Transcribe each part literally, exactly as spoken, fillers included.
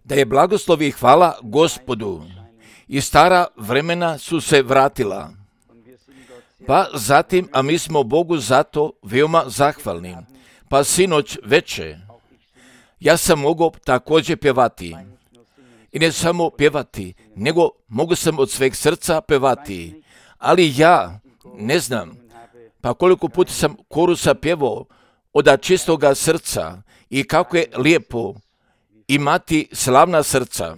Da je blagoslov i hvala Gospodu. I stara vremena su se vratila. Pa zatim, a mi smo Bogu zato veoma zahvalni. Pa sinoć veče, ja sam mogao također pjevati. I ne samo pjevati, nego mogu sam od sveg srca pjevati. Ali ja ne znam, pa koliko puta sam korusa pjevao od čistoga srca i kako je lijepo imati slavna srca.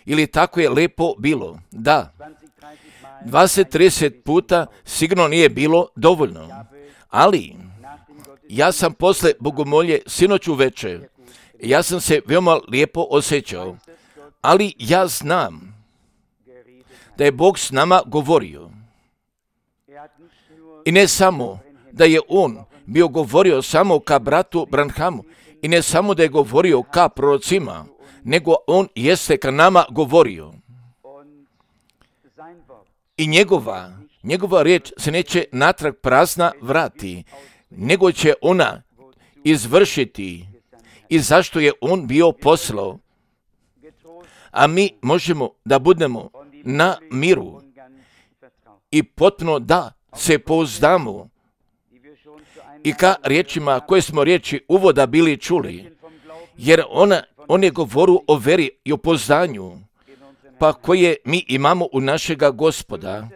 Ili tako je lijepo bilo. Da, dvadeset trideset puta sigurno nije bilo dovoljno. Ali ja sam posle bogomolje sinoć uveče, ja sam se veoma lijepo osjećao. Ali ja znam da je Bog s nama govorio. I ne samo da je On bio govorio samo ka bratu Branhamu, i ne samo da je govorio ka prorocima, nego On jeste ka nama govorio. I njegova, njegova riječ se neće natrag prazna vrati, nego će ona izvršiti i zašto je On bio poslao. A mi možemo da budemo na miru i potpuno da se pouzdamo i ka riječima koje smo riječi uvoda bili čuli, jer ona, on je govorio o veri i o pouzdanju, pa koje mi imamo u našega Gospoda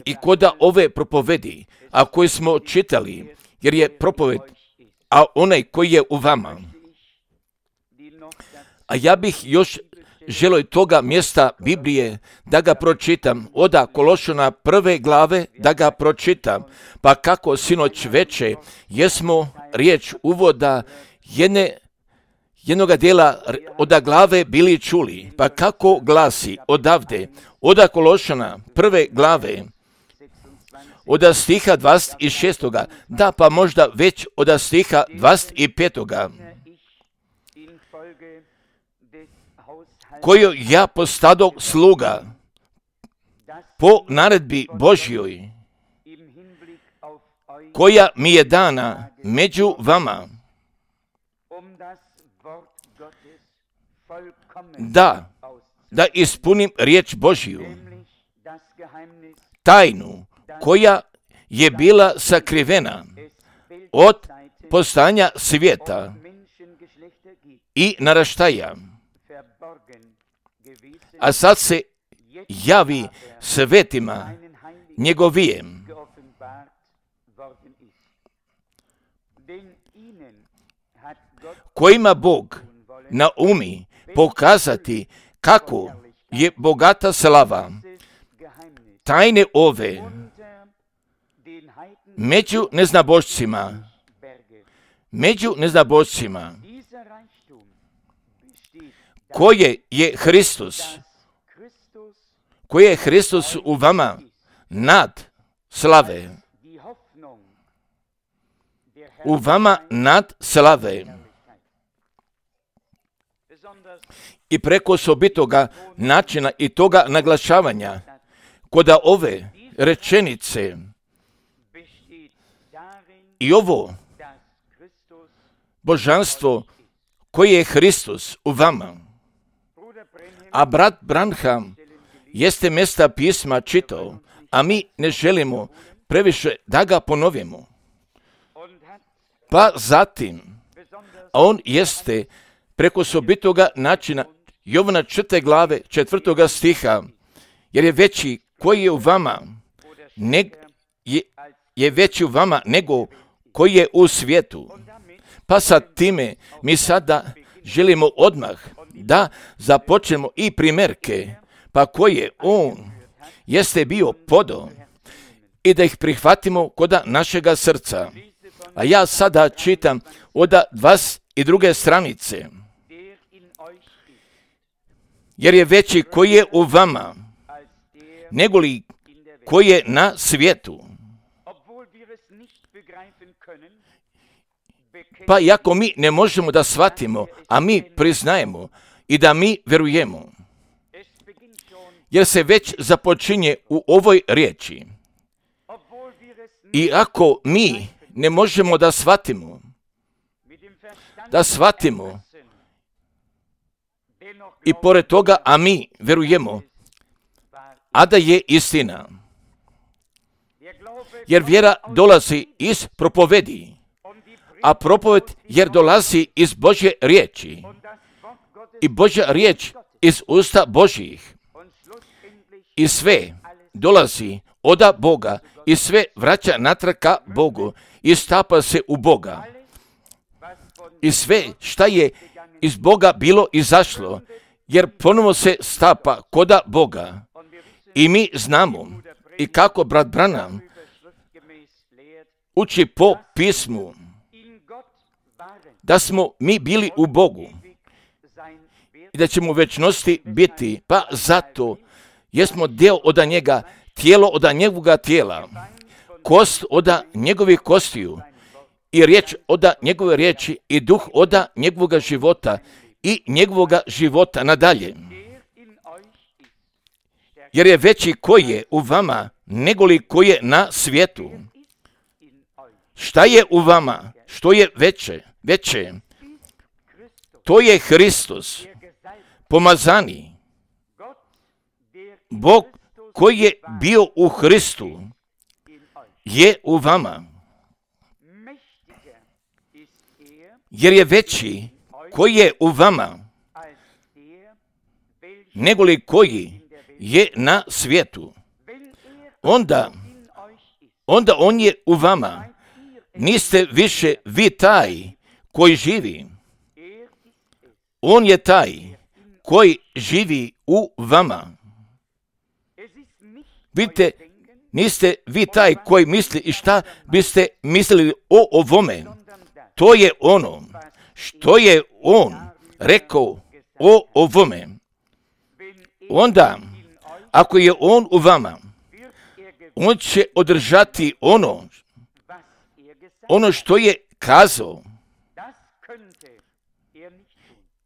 i koda ove propovedi, a koje smo čitali, jer je propoved, a onaj koji je u vama. A ja bih još želio toga mjesta Biblije da ga pročitam, oda Kološana prve glave da ga pročitam, pa kako sinoć veče jesmo riječ uvoda jedne, jednoga dijela oda glave bili čuli, pa kako glasi odavde, oda Kološana prve glave, oda stiha dvadeset šest. Da, pa možda već oda stiha dvadeset pet. Koju ja postado sluga po naredbi Božjoj, koja mi je dana među vama, da, da ispunim riječ Božju, tajnu koja je bila sakrivena od postojanja svijeta i naraštaja, a sad se javi svetima njegovijem. Kojima Bog naumi pokazati kako je bogata slava tajne ove među neznabošcima, među neznabošcima, koje je Hristos, koje je Hristos u vama nad slave, u vama nad slave. I preko osobitoga načina i toga naglašavanja, koda ove rečenice i ovo božanstvo koje je Hristos u vama. A brat Branham jeste mjesta pisma čitao, a mi ne želimo previše da ga ponovimo. Pa zatim, a on jeste preko osobitoga načina Jovana četvrte glave četvrtoga stiha, jer je veći koji je u vama, ne, je, je veći u vama nego koji je u svijetu. Pa sa time mi sada želimo odmah da započnemo i primjerke, pa koje on jeste bio podao i da ih prihvatimo koda našega srca. A ja sada čitam od dvadeset druge stranice. Jer je veći koji je u vama, nego li koji je na svijetu. Pa iako mi ne možemo da shvatimo, a mi priznajemo i da mi verujemo, jer se već započinje u ovoj riječi. I ako mi ne možemo da shvatimo, da shvatimo. I pored toga, a mi verujemo, a da je istina. Jer vjera dolazi iz propovedi, a propoved jer dolazi iz Božje riječi. I Božja riječ iz usta Božjih. I sve dolazi od Boga i sve vraća natrag ka Bogu i stapa se u Boga. I sve šta je iz Boga bilo izašlo, jer ponovo se stapa koda Boga. I mi znamo, i kako brat Branham uči po pismu, da smo mi bili u Bogu i da ćemo u večnosti biti, pa zato jesmo dio od njega, tijelo od njegovoga tijela, kost od njegovih kostiju i riječ od njegove riječi i duh od njegovoga života i njegovoga života nadalje. Jer je veći koji je u vama nego li koji je na svijetu. Šta je u vama? Što je veće? Veće. To je Hristos, pomazani. Bog koji je bio u Hristu je u vama. Jer je veći koji je u vama nego li koji je na svijetu. Onda, onda on je u vama. Niste više vi taj koji živi. On je taj koji živi u vama. Vidite, niste vi taj koji misli i šta biste mislili o ovome. To je ono što je on rekao o ovome. Onda, ako je on u vama, on će održati ono, ono što je kazao.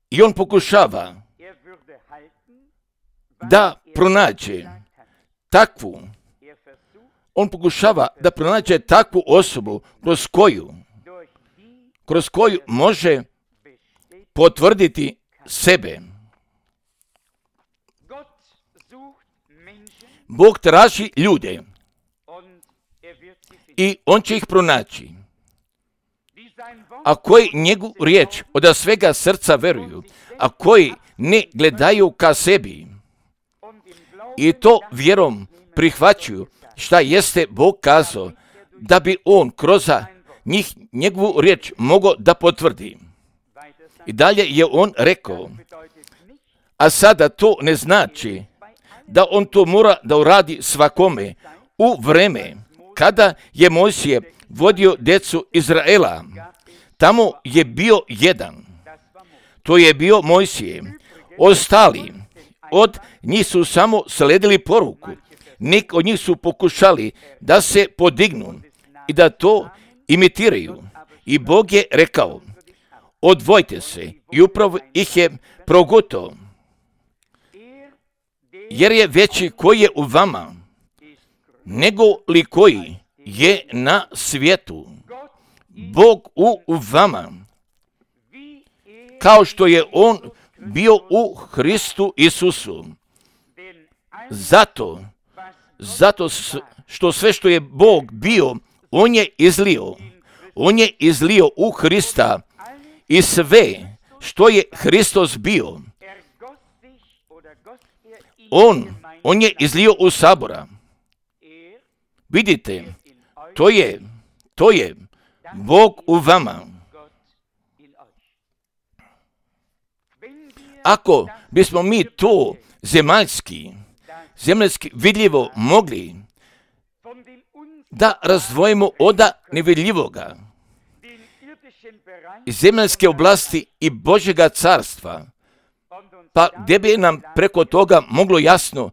I on pokušava da pronađe takvu, on pokušava da pronađe takvu osobu kroz koju, kroz koju može potvrditi sebe. Bog traži ljude i on će ih pronaći. A koji njegovu riječ od svega srca veruju, a koji ne gledaju ka sebi i to vjerom prihvaćuju šta jeste Bog kazao, da bi on kroz njih njegovu riječ mogao da potvrdi. I dalje je on rekao, a sada to ne znači da on to mora da uradi svakome u vreme kada je Mojsije vodio djecu Izraela. Tamo je bio jedan. To je bio Mojsije. Ostali od njih su samo sledili poruku. Neki od njih su pokušali da se podignu i da to imitiraju. I Bog je rekao, odvojite se. I upravo ih je progutao. Jer je veći koji je u vama nego li koji je na svijetu. Bog u vama, kao što je on bio u Hristu Isusu. Zato, zato što sve što je Bog bio, on je izlio. On je izlio u Hrista i sve što je Hristos bio, on, on je izlio u sabora. Vidite, to je, to je Bog u vama. Ako bismo mi to zemaljski, zemaljski vidljivo mogli da razdvojimo od nevidljivoga, iz zemaljske oblasti i Božjega carstva, pa gdje bi nam preko toga moglo jasno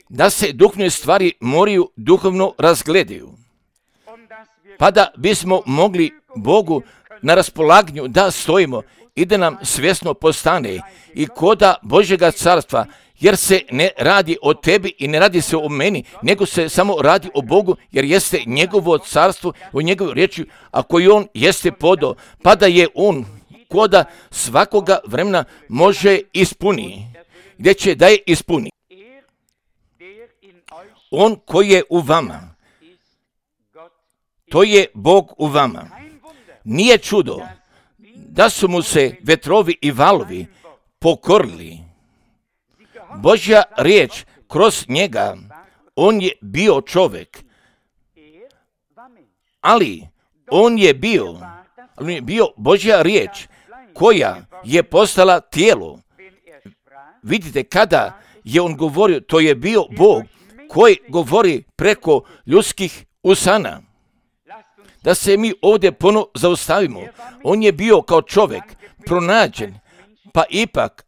da se duhovne stvari moraju duhovno razgledaju, pa da bismo mogli Bogu na raspolaganju da stojimo i da nam svjesno postane i koda Božjega carstva jer se ne radi o tebi i ne radi se o meni, nego se samo radi o Bogu, jer jeste njegovo carstvo, o njegovoj riječi, a koji on jeste podao, pa da je on koda svakoga vremena može ispuni, gdje će da je ispuni. On koji je u vama, to je Bog u vama. Nije čudo da su mu se vetrovi i valovi pokorili. Božja riječ kroz njega, on je bio čovjek, ali on je bio, on je bio Božja riječ koja je postala tijelo. Vidite, kada je on govorio, to je bio Bog koji govori preko ljudskih usana. Da se mi ovdje ponovo zaustavimo. On je bio kao čovjek pronađen, pa ipak,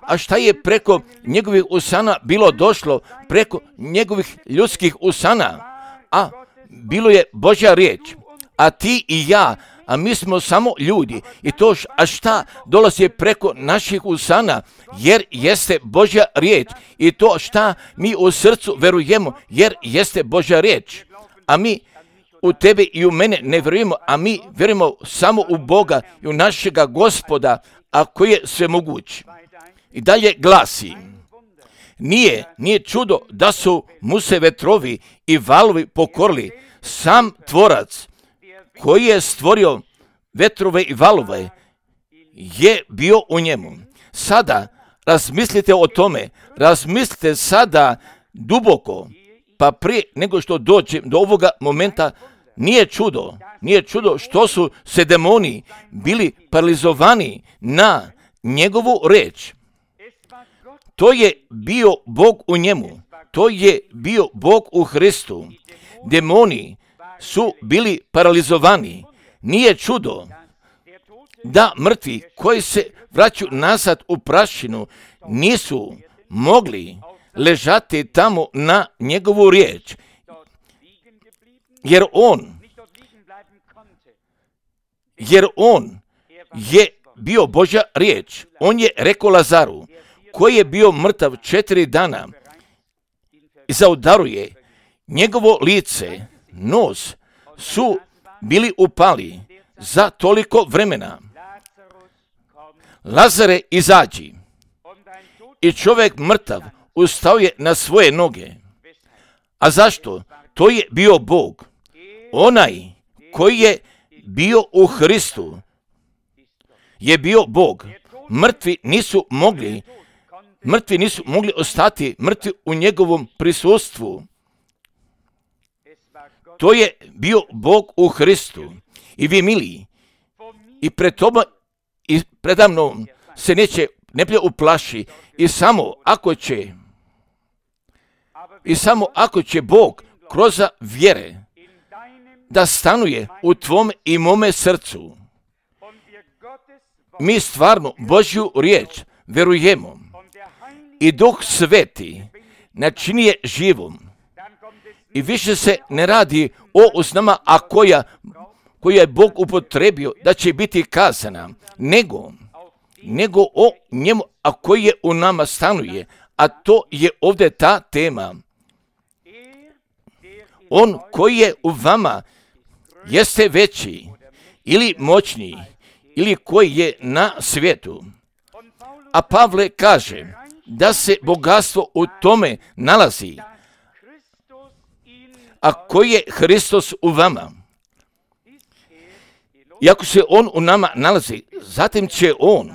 a šta je preko njegovih usana bilo došlo, preko njegovih ljudskih usana? A bilo je Božja riječ, a ti i ja, a mi smo samo ljudi. I to, a šta dolazi preko naših usana, jer jeste Božja riječ. I to šta mi u srcu verujemo, jer jeste Božja riječ. A mi u tebe i u mene ne vjerujemo, a mi vjerujemo samo u Boga i u našega Gospoda, a koji je sve moguć. I dalje glasi, nije, nije čudo da su mu se vetrovi i valovi pokorili. Sam tvorac koji je stvorio vetrove i valove je bio u njemu. Sada razmislite o tome, razmislite sada duboko, pa prije nego što dođem do ovoga momenta, nije čudo, nije čudo što su se demoni bili paralizovani na njegovu riječ. To je bio Bog u njemu, to je bio Bog u Hristu. Demoni su bili paralizovani. Nije čudo da mrtvi koji se vraćaju nazad u prašinu nisu mogli ležati tamo na njegovu riječ, jer on, jer on je bio Božja riječ. On je rekao Lazaru, koji je bio mrtav četiri dana, i zaudaruje njegovo lice, nos su bili upali za toliko vremena. Lazare, izađi. I čovjek mrtav ustao je na svoje noge. A zašto? To je bio Bog. Onaj koji je bio u Hristu je bio Bog. Mrtvi nisu mogli, mrtvi nisu mogli ostati mrtvi u njegovom prisustvu. To je bio Bog u Hristu. I vi, mili, i pred tobom i predamnom se neće neplje uplaši, i samo ako će i samo ako će Bog kroz vjere da stanuje u tvom i mome srcu, mi stvarno Božju riječ verujemo i Duh Sveti načini je živom. I više se ne radi o usnama, a koja, koja je Bog upotrebio da će biti kazana, nego, nego o njemu, a koji je u nama stanuje, a to je ovdje ta tema. On koji je u vama jeste veći ili moćniji ili koji je na svijetu. A Pavle kaže da se bogatstvo u tome nalazi, a koji je Hristos u vama. I ako se on u nama nalazi, zatim će on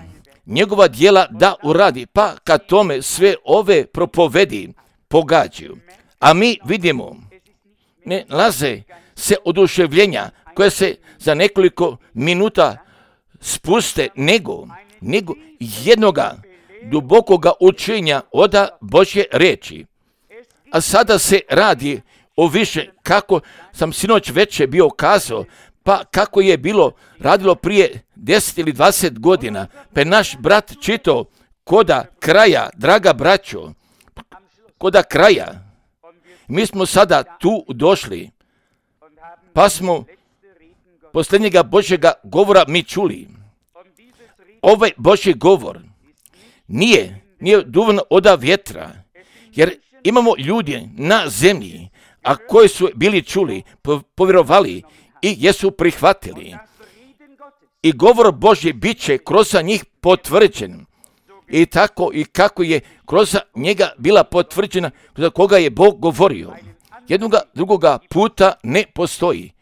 njegova djela da uradi, pa kad tome sve ove propovedi pogađaju. A mi vidimo, ne nalaze se oduševljenja koje se za nekoliko minuta spuste, nego, nego jednoga dubokoga učenja od Božje riječi. A sada se radi o više, kako sam sinoć večer bio kazao, pa kako je bilo radilo prije deset ili dvadeset godina, pa je naš brat čitao koda kraja, draga braćo, koda kraja. Mi smo sada tu došli, pa smo posljednjega Božjega govora mi čuli. Ovaj Božji govor nije nije dovoljno oda vjetra, jer imamo ljudi na zemlji, a koji su bili čuli, povjerovali i jesu prihvatili. I govor Božji bit će kroz njih potvrđen. I tako i kako je kroz njega bila potvrđena, za koga je Bog govorio. Jednoga drugoga puta ne postoji.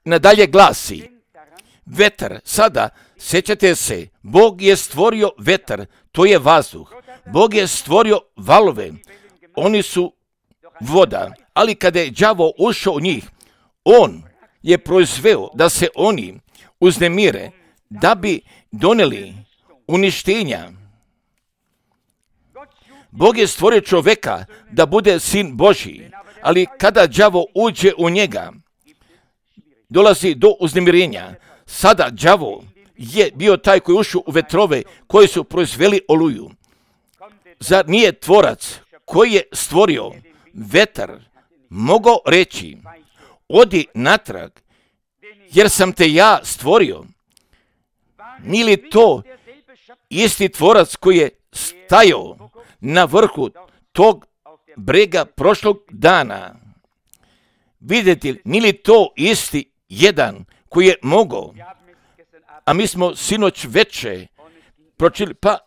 Nadalje glasi, vetar, sada, sjećate se, Bog je stvorio vetar, to je vazduh. Bog je stvorio valove, oni su voda, ali kada je đavo ušao u njih, on je proizveo da se oni uznemire, da bi doneli uništenja. Bog je stvorio čovjeka da bude sin Božji, ali kada đavo uđe u njega, dolazi do uznemirenja. Sada đavo je bio taj koji ušao u vetrove koji su proizveli oluju. Zar nije tvorac koji je stvorio vetar mogao reći, odi natrag, jer sam te ja stvorio? Nije li to isti tvorac koji je stajao na vrhu tog brega prošlog dana? Vidite, nije li to isti jedan koji je mogao? A mi smo sinoć veče pročili, pa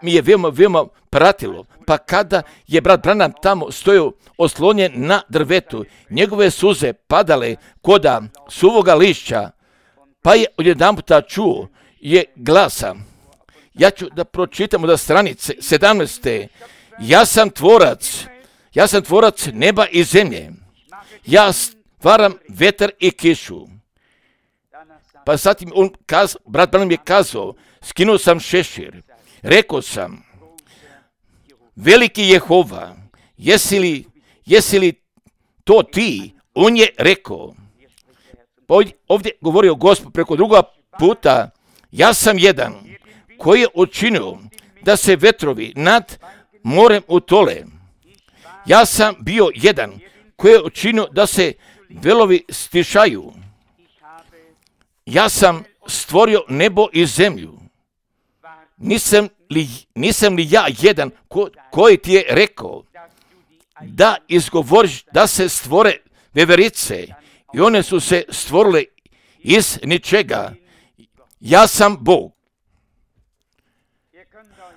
mi je veoma, veoma pratilo. Pa kada je brat Branham tamo stojao oslonjen na drvetu, njegove suze padale koda suvoga lišća, pa je odjedanputa čuo je glasa. Ja ću da pročitam od stranice sedamnaeste. Ja sam tvorac, ja sam tvorac neba i zemlje. Ja stvaram vetar i kišu. Pa zatim on kaz, brat Branham je kazao, skinuo sam šešir. Rekao sam, veliki Jehova, jesi li, jesi li to ti? On je rekao, ovdje govorio Gospod preko druga puta, ja sam jedan koji je učinio da se vetrovi nad morem utole. Ja sam bio jedan koji je učinio da se velovi stišaju. Ja sam stvorio nebo i zemlju. Nisam li, nisam li ja jedan ko, koji ti je rekao da izgovoriš da se stvore veverice i one su se stvorile iz ničega. Ja sam Bog.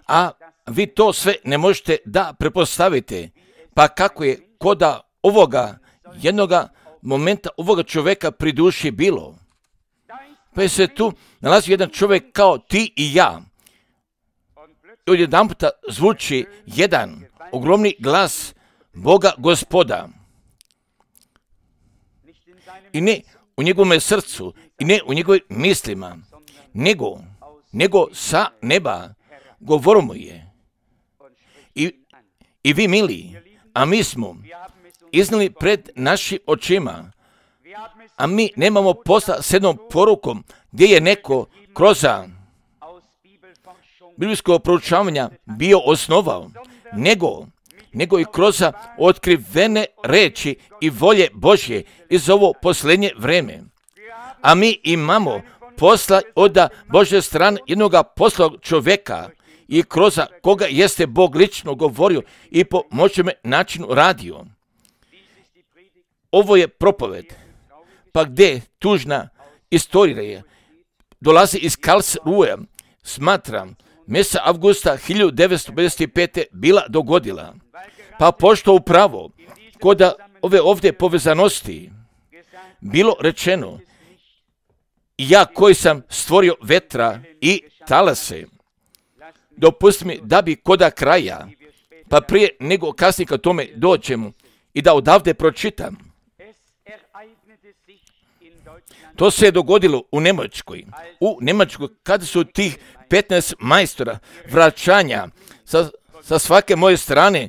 A vi to sve ne možete da prepostavite. Pa kako je koda ovoga jednoga momenta ovoga čovjeka pri duši bilo? Pa je se tu nalazi jedan čovjek kao ti i ja. I odjedan puta zvuči jedan ogromni glas Boga Gospoda. I ne u njegovom srcu, i ne u njegovim mislima, nego, nego sa neba govorimo je. I, I vi mili, a mi smo iznali pred našim očima, a mi nemamo posla s jednom porukom gdje je neko kroz biblijskog proučavanja bio osnovao, nego, nego i kroz otkrivene reči i volje Božje iz ovo posljednje vreme. A mi imamo posla od Božje strane jednoga poslog čovjeka i kroz koga jeste Bog lično govorio i po moćnome načinu radio. Ovo je propoved, pa gdje tužna istorija je, dolazi iz Karlsruhe, smatram, mjeseca avgusta hiljadu devetsto pedeset pete bila dogodila. Pa pošto upravo kod ove ovdje povezanosti bilo rečeno, ja koji sam stvorio vetra i talase, dopusti mi da bi koda kraja, pa prije nego kasnije kad tome dođemo i da odavde pročitam. To se je dogodilo u Njemačkoj. U Njemačkoj kada su tih petnaest majstora vraćanja sa, sa svake moje strane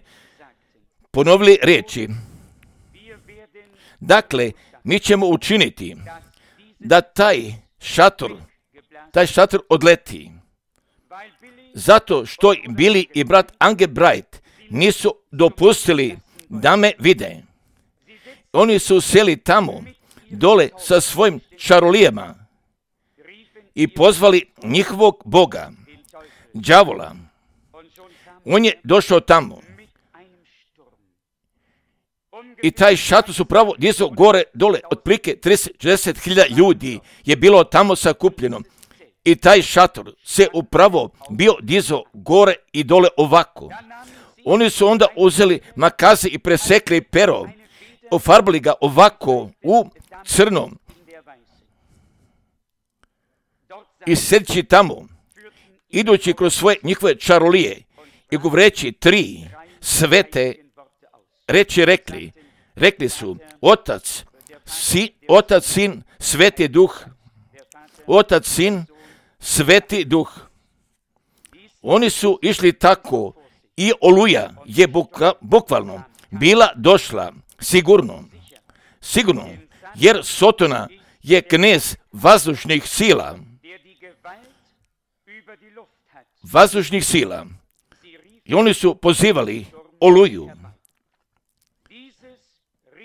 ponovili riječi. Dakle, mi ćemo učiniti da taj šator, taj šator odleti. Zato što Billy i brat Ange Bright nisu dopustili da me vide. Oni su seli tamo, dole sa svojim čarolijama i pozvali njihovog boga, đavola. On je došao tamo. I taj šator su pravo dizao gore, dole, otprilike trideset do četrdeset hiljada ljudi je bilo tamo sakupljeno. I taj šator se upravo bio dizao gore i dole ovako. Oni su onda uzeli makaze i presekli pero, ofarbali ga ovako u crnom. I sjedeći tamo, idući kroz svoje njihove čarolije i govoreći tri svete reči rekli, rekli su Otac, si, Otac, Sin, Sveti Duh, Otac, Sin, Sveti Duh. Oni su išli tako i oluja je buka, bukvalno bila došla sigurno, sigurno, jer Sotona je knez vazdušnih sila, vazdušnih sila. I oni su pozivali oluju.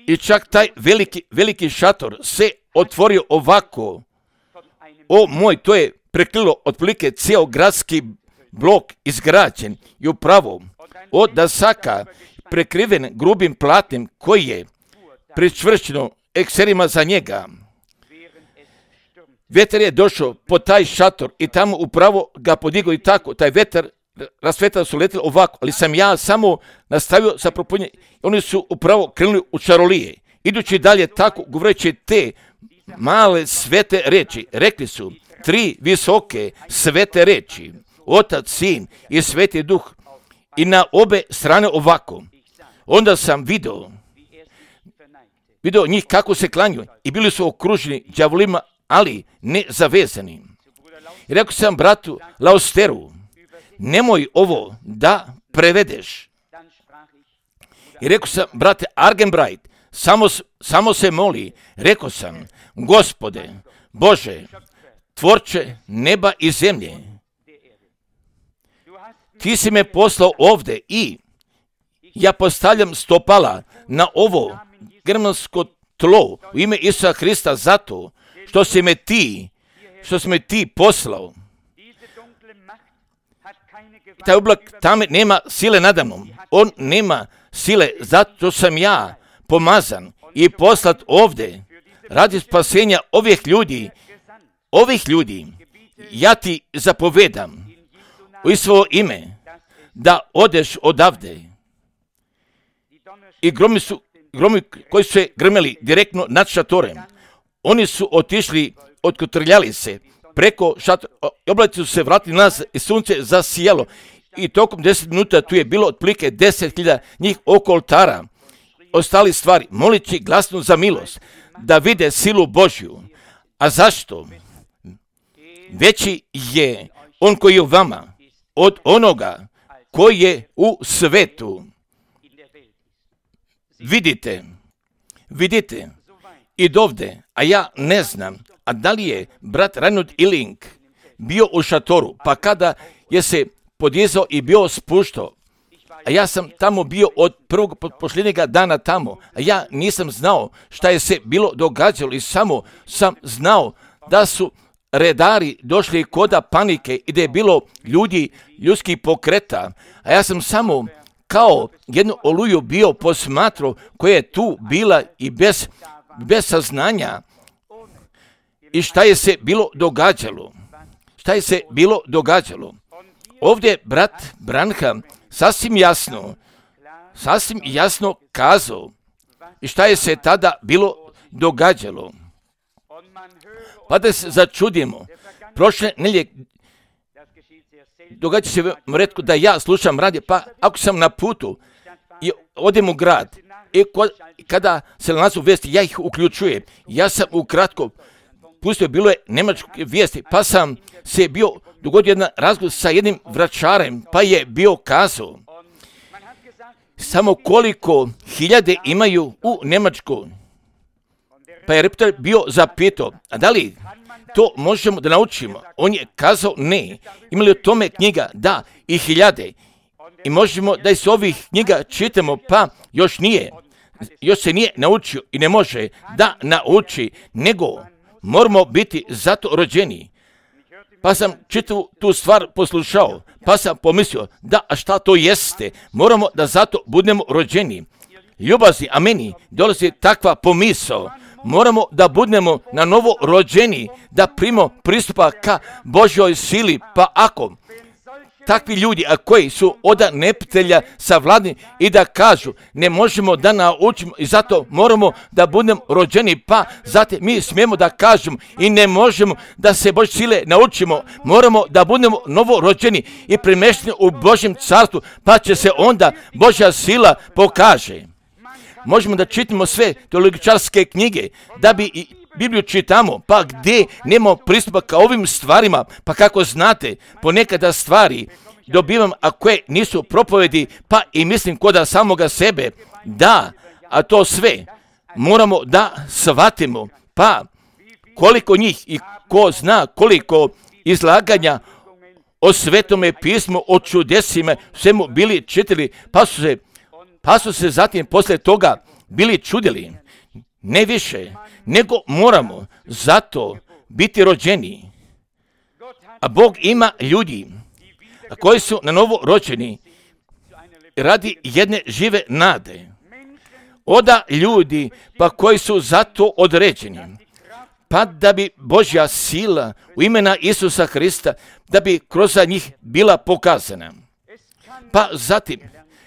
I čak taj veliki, veliki šator se otvorio ovako. O moj, to je prekrilo otprilike cijel gradski blok izgrađen i upravo od dasaka prekriven grubim platnim koji je pričvršćeno ekserima za njega. Vetar je došao po taj šator i tamo upravo ga podigao i tako. Taj vetar, rasvetala su letili ovako, ali sam ja samo nastavio sa propunjenjem. Oni su upravo krenuli u čarolije. Idući dalje tako, govoreći te male svete reči, rekli su tri visoke svete reči, Otac, Sin i Sveti Duh. I na obe strane ovako. Onda sam vidio, vidio njih kako se klanju i bili su okruženi đavolima, ali ne zavezani. I rekao sam bratu Lausteru, nemoj ovo da prevedeš. I rekao sam, brate Argenbright, samo, samo se moli. Rekao sam, Gospode, Bože, tvorče neba i zemlje, ti si me poslao ovdje i ja postavljam stopala na ovo germansko tlo u ime Isusa Hrista zato što si me ti, što si me ti poslao. Taj oblak tamo nema sile nadamnom. On nema sile zato sam ja pomazan i poslat ovdje radi spasenja ovih ljudi. Ovih ljudi ja ti zapovedam u svoje ime da odeš odavde. I gromi su, gromi koji su se grmeli direktno nad šatorem, oni su otišli, otkotrljali se preko šatora, oblaci su se vratili nas i sunce zasijalo. I tokom deset minuta tu je bilo otprilike deset hiljada njih oko oltara. Ostali stvari, molići glasno za milost, da vide silu Božju. A zašto? Veći je on koji je u vama od onoga koji je u svetu. Vidite, vidite, i dovde, a ja ne znam, a da li je brat Reinhold Illing bio u šatoru, pa kada je se podizao i bio spuštao, a ja sam tamo bio od prvog posljednjega dana tamo, a ja nisam znao šta je se bilo događalo i samo sam znao da su redari došli koda panike i da je bilo ljudi, ljudskih pokreta, a ja sam samo kao jednu oluju bio posmatrao koja je tu bila i bez, bez saznanja i šta je se bilo događalo. Šta je se bilo događalo. Ovdje brat Branham sasvim jasno, sasvim jasno kazao i šta je se tada bilo događalo. Pa da se začudimo, prošle nelje događa se retko da ja slušam radio, pa ako sam na putu i odem u grad i kada se nalazu vijesti, ja ih uključujem. Ja sam ukratko pustio, bilo je nemačke vijesti, pa sam se bio dogodio jedan razgovor sa jednim vračarem, pa je bio kazao samo koliko hiljade imaju u Njemačkoj. Pa je reporter bio zapitao, a da li to možemo da naučimo? On je kazao ne. Imali o tome knjiga? Da, i hiljade. I možemo da iz ovih knjiga čitamo, pa još nije. Još se nije naučio i ne može da nauči, nego moramo biti zato rođeni. Pa sam čitavu tu stvar poslušao, pa sam pomislio, da, a šta to jeste? Moramo da zato budemo rođeni. Ljubazni, a meni dolazi takva pomisao. Moramo da budemo na novo rođeni, da primimo pristupa ka Božjoj sili, pa ako takvi ljudi, a koji su od neprijatelja savladni i da kažu ne možemo da naučimo i zato moramo da budemo rođeni, pa zato mi smijemo da kažemo i ne možemo da se Božje sile naučimo, moramo da budemo novo rođeni i premješteni u Božjem carstvu, pa će se onda Božja sila pokaže. Možemo da čitamo sve teologičarske knjige, da bi i Bibliju čitamo, pa gdje nemamo pristupa ka ovim stvarima, pa kako znate, ponekada stvari dobivam, a koje nisu propovedi, pa i mislim koda samoga sebe, da, a to sve moramo da shvatimo, pa koliko njih i ko zna koliko izlaganja o Svetome pismu, o čudesima, svemu bili čitali, pa su se, pa su se zatim poslije toga bili čudili. Ne više, nego moramo zato biti rođeni. A Bog ima ljudi koji su na novo rođeni radi jedne žive nade. Oda ljudi pa koji su zato određeni. Pa da bi Božja sila u imena Isusa Hrista, da bi kroz njih bila pokazana. Pa zatim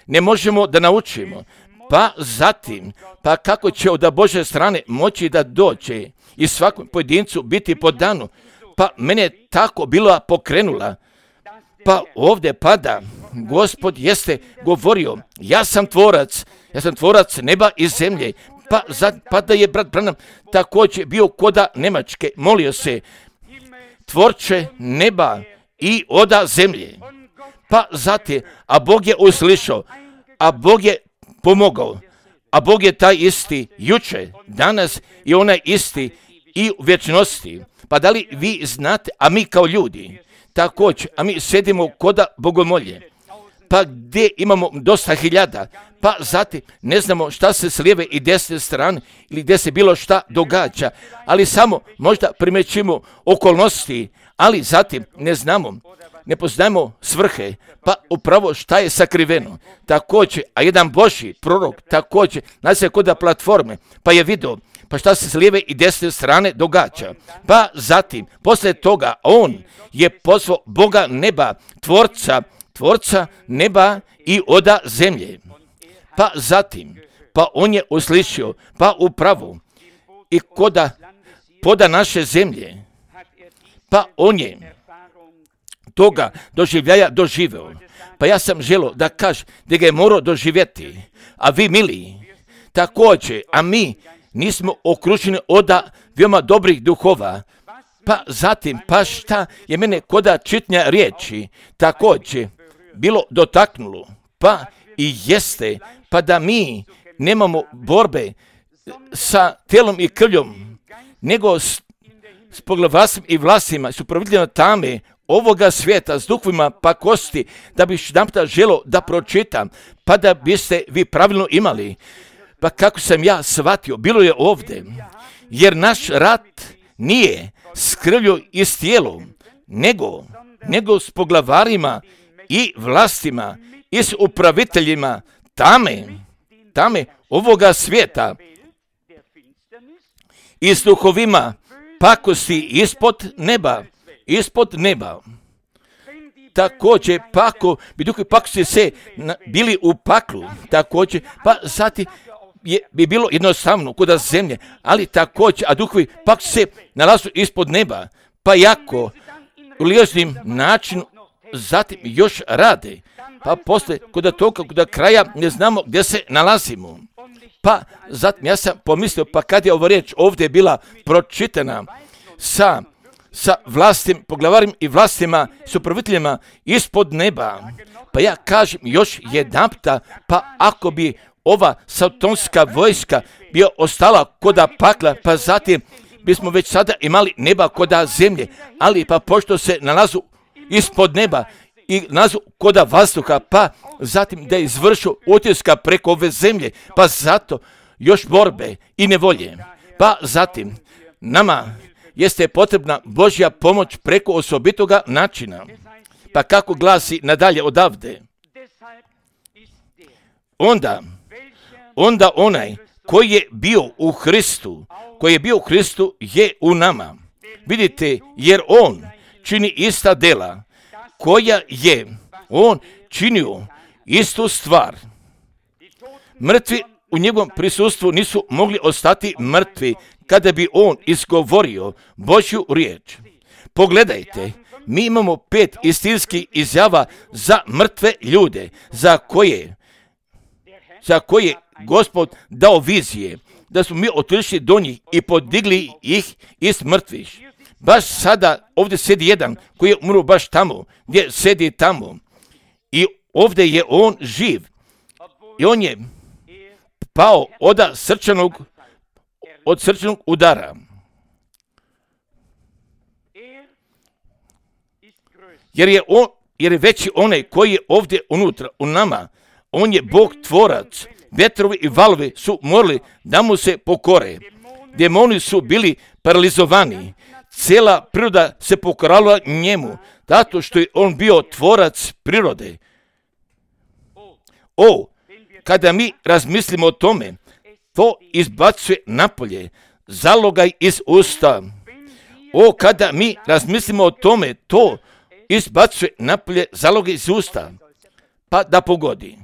ne možemo da naučimo. Pa zatim, pa kako će od Božje strane moći da dođe i svakom pojedincu biti podano, pa mene tako bila pokrenula. Pa ovdje pada, Gospod jeste govorio, ja sam tvorac, ja sam tvorac neba i zemlje, pa, za, pa da je brat Branham također bio koda Nemačke, molio se, tvorče neba i oda zemlje. Pa zatim, a Bog je uslišao, a Bog je pomogao, a Bog je taj isti juče, danas i onaj isti i u vječnosti. Pa da li vi znate, a mi kao ljudi, također, a mi sedimo koda bogomolje, pa gdje imamo dosta hiljada, pa zatim ne znamo šta se s lijeve i desne strane ili gdje se bilo šta događa, ali samo možda primećimo okolnosti, ali zatim ne znamo, ne poznajemo svrhe, pa upravo šta je sakriveno. Također, a jedan Božji prorok također nađe koda platforme, pa je vidio, pa šta se s lijeve i desne strane događa. Pa zatim, poslije toga, on je pozvao Boga neba, tvorca, tvorca neba i oda zemlje. Pa zatim, pa on je uslišio, pa upravo i koda poda naše zemlje, pa on je toga doživljaja doživeo. Pa ja sam želio da kažem da ga je morao doživjeti, a vi mili, također, a mi nismo okruženi od veoma dobrih duhova. Pa zatim, pa šta je mene koda čitnja riječi također bilo dotaknulo, pa i jeste, pa da mi nemamo borbe sa telom i krvljom, nego s, s poglavarstvom i vlastima, s upraviteljima tame ovoga svijeta, s duhovima pakosti, da bi jedanputa želio da pročitam, pa da biste vi pravilno imali. Pa kako sam ja shvatio, bilo je ovdje, jer naš rat nije s krvlju i s tijelom, nego, nego s poglavarima i vlastima i s upraviteljima tame, tame ovoga svijeta i s duhovima pakosti ispod neba, ispod neba. Također, pako, bi duhovi pakosti se na, bili u paklu, također, pa zatim je, bi bilo jednostavno kod zemlje, ali također, a duhovi pakosti se nalazu ispod neba, pa jako u liječnim načinu zatim još rade, pa poslije kod toga, kod kraja ne znamo gdje se nalazimo. Pa zatim ja sam pomislio, pa kad je ova riječ ovdje bila pročitana sa, sa vlastim, poglavarima i vlastima, s upraviteljima ispod neba, pa ja kažem još jedanputa, pa ako bi ova satanska vojska bio ostala koda pakla, pa zatim bismo već sada imali neba koda zemlje, ali pa pošto se nalazu ispod neba i nalazu koda vazduha, pa zatim da je izvršu utiska preko ove zemlje, pa zato još borbe i nevolje. Pa zatim nama jeste potrebna Božja pomoć preko osobitoga načina. Pa kako glasi nadalje odavde? Onda, onda onaj koji je bio u Hristu, koji je bio u Hristu je u nama. Vidite, jer on čini ista dela koja je on činio istu stvar. Mrtvi u njegovom prisustvu nisu mogli ostati mrtvi kada bi on izgovorio Božju riječ. Pogledajte, mi imamo pet istinskih izjava za mrtve ljude, za koje, za koje Gospod dao vizije, da smo mi otišli do njih i podigli ih iz mrtvih. Baš sada ovdje sedi jedan koji je umro baš tamo, gdje sedi tamo. I ovdje je on živ. I on je pao od srčanog, od srčanog udara. Jer je, on, jer je veći onaj koji je ovdje unutra, u nama. On je Bog tvorac. Vetrovi i valovi su morali da mu se pokore. Demoni su bili paralizovani. Cijela priroda se pokorala njemu, zato što je on bio tvorac prirode. O, kada mi razmislimo o tome, to izbacuje napolje, zalogaj iz usta. O, kada mi razmislimo o tome, to izbacuje napolje, zalogaj iz usta. Pa da pogodi.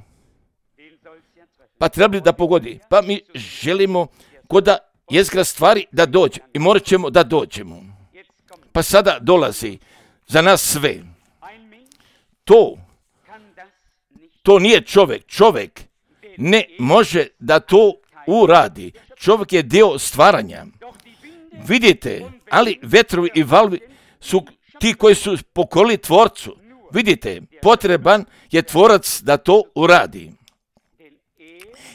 Pa treba da pogodi. Pa mi želimo koda jezgra stvari da dođe i morat ćemo da dođemo. Pa sada dolazi za nas sve. To, to nije čovjek. Čovjek ne može da to uradi. Čovjek je dio stvaranja. Vidite, ali vetrovi i valovi su ti koji su pokorili tvorcu. Vidite, potreban je tvorac da to uradi.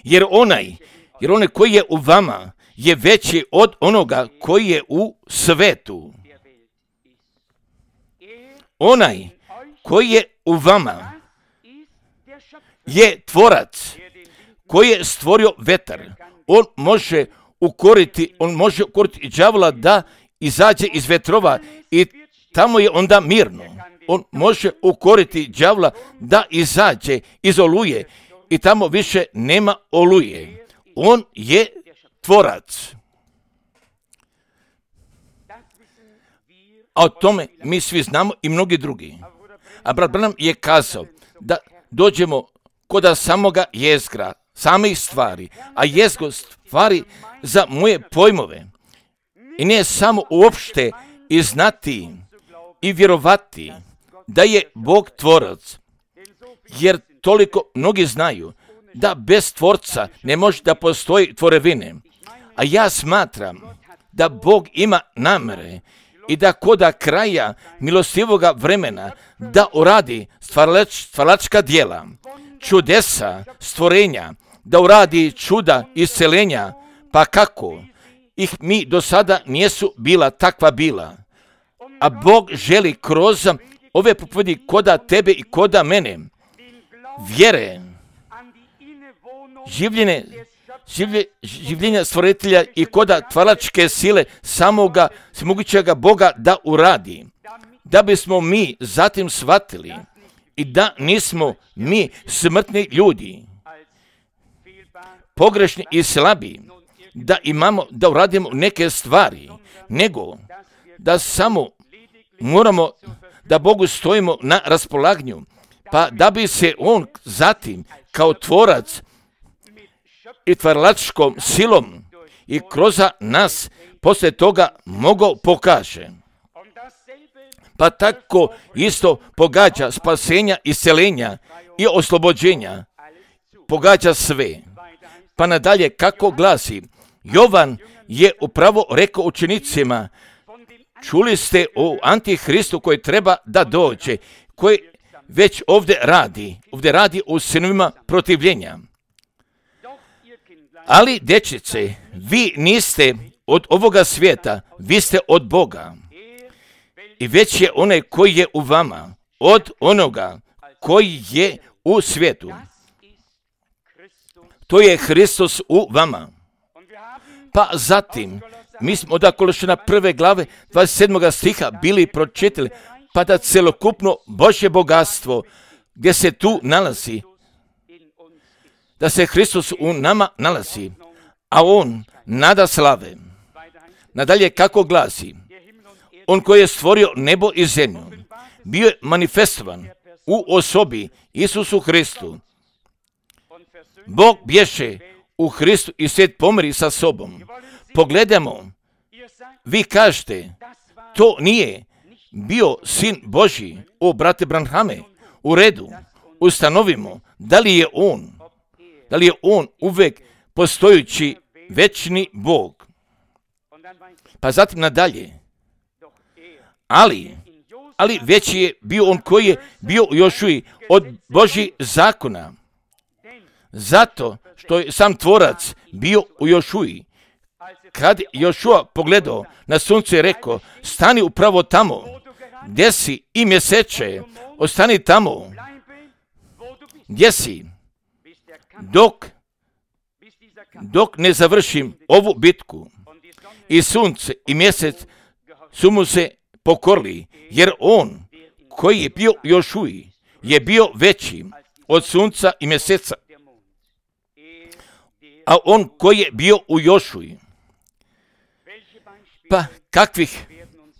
Jer onaj, jer onaj koji je u vama je veći od onoga koji je u svetu. Onaj koji je u vama je tvorac koji je stvorio vetar. On može ukoriti, on može ukoriti i đavola da izađe iz vetrova i tamo je onda mirno. On može ukoriti đavola da izađe iz oluje i tamo više nema oluje. On je tvorac. A o tome mi svi znamo i mnogi drugi. A brat Branham je kazao da dođemo kod samoga jezgra, samih stvari, a jezgro stvari za moje pojmove. I ne samo uopšte i znati i vjerovati da je Bog tvorac, jer toliko mnogi znaju da bez tvorca ne može da postoji tvorevine. A ja smatram da Bog ima namere i da koda kraja milostivoga vremena da uradi stvaralač, stvaralačka djela, čudesa, stvorenja, da uradi čuda iscelenja, pa kako ih mi do sada nijesu bila takva bila. A Bog želi kroz ove propovedi koda tebe i koda mene, vjere, življenje, življe, življenja stvoritelja i koda tvaračke sile samoga svemogućega Boga da uradi, da bismo mi zatim shvatili i da nismo mi smrtni ljudi, pogrešni i slabi, da imamo, da uradimo neke stvari, nego da samo moramo da Bogu stojimo na raspolaganju, pa da bi se On zatim kao tvorac i tvaralačkom silom i kroz nas poslije toga mogao pokaže. Pa tako isto pogađa spasenja, iscelenja i oslobođenja, pogađa sve. Pa nadalje kako glasi, Jovan je upravo rekao učenicima, čuli ste o Antihristu koji treba da dođe, koji već ovdje radi, ovdje radi u sinovima protivljenja. Ali, dječice, vi niste od ovoga svijeta, vi ste od Boga. I već je onaj koji je u vama, od onoga koji je u svijetu. To je Hristos u vama. Pa zatim, mi smo od Kološana prve glave dvadeset sedmog stiha bili pročitali, pa da celokupno Božje bogatstvo gdje se tu nalazi, da se Hristos u nama nalazi, a On nada slave. Nadalje kako glasi, On koji je stvorio nebo i zemlju, bio je manifestovan u osobi Isusu Hristu. Bog bješe u Hristu i svijet pomiri sa sobom. Pogledajmo, vi kažete, to nije bio sin Božji, o brate Branhame, u redu, ustanovimo da li je on, da li je on uvek postojući večni Bog. Pa zatim nadalje, ali, ali veći je bio on koji je bio u Jošuji od Božjih zakona, zato što je sam tvorac bio u Jošuji. Kad Jošua pogledao na sunce i rekao, stani upravo tamo, gdje si i mjeseče, ostani tamo, gdje si, dok, dok ne završim ovu bitku. I sunce i mjesec su mu se pokorili, jer on koji je bio u Jošuji je bio veći od sunca i mjeseca. A on koji je bio u Jošuji, pa kakvih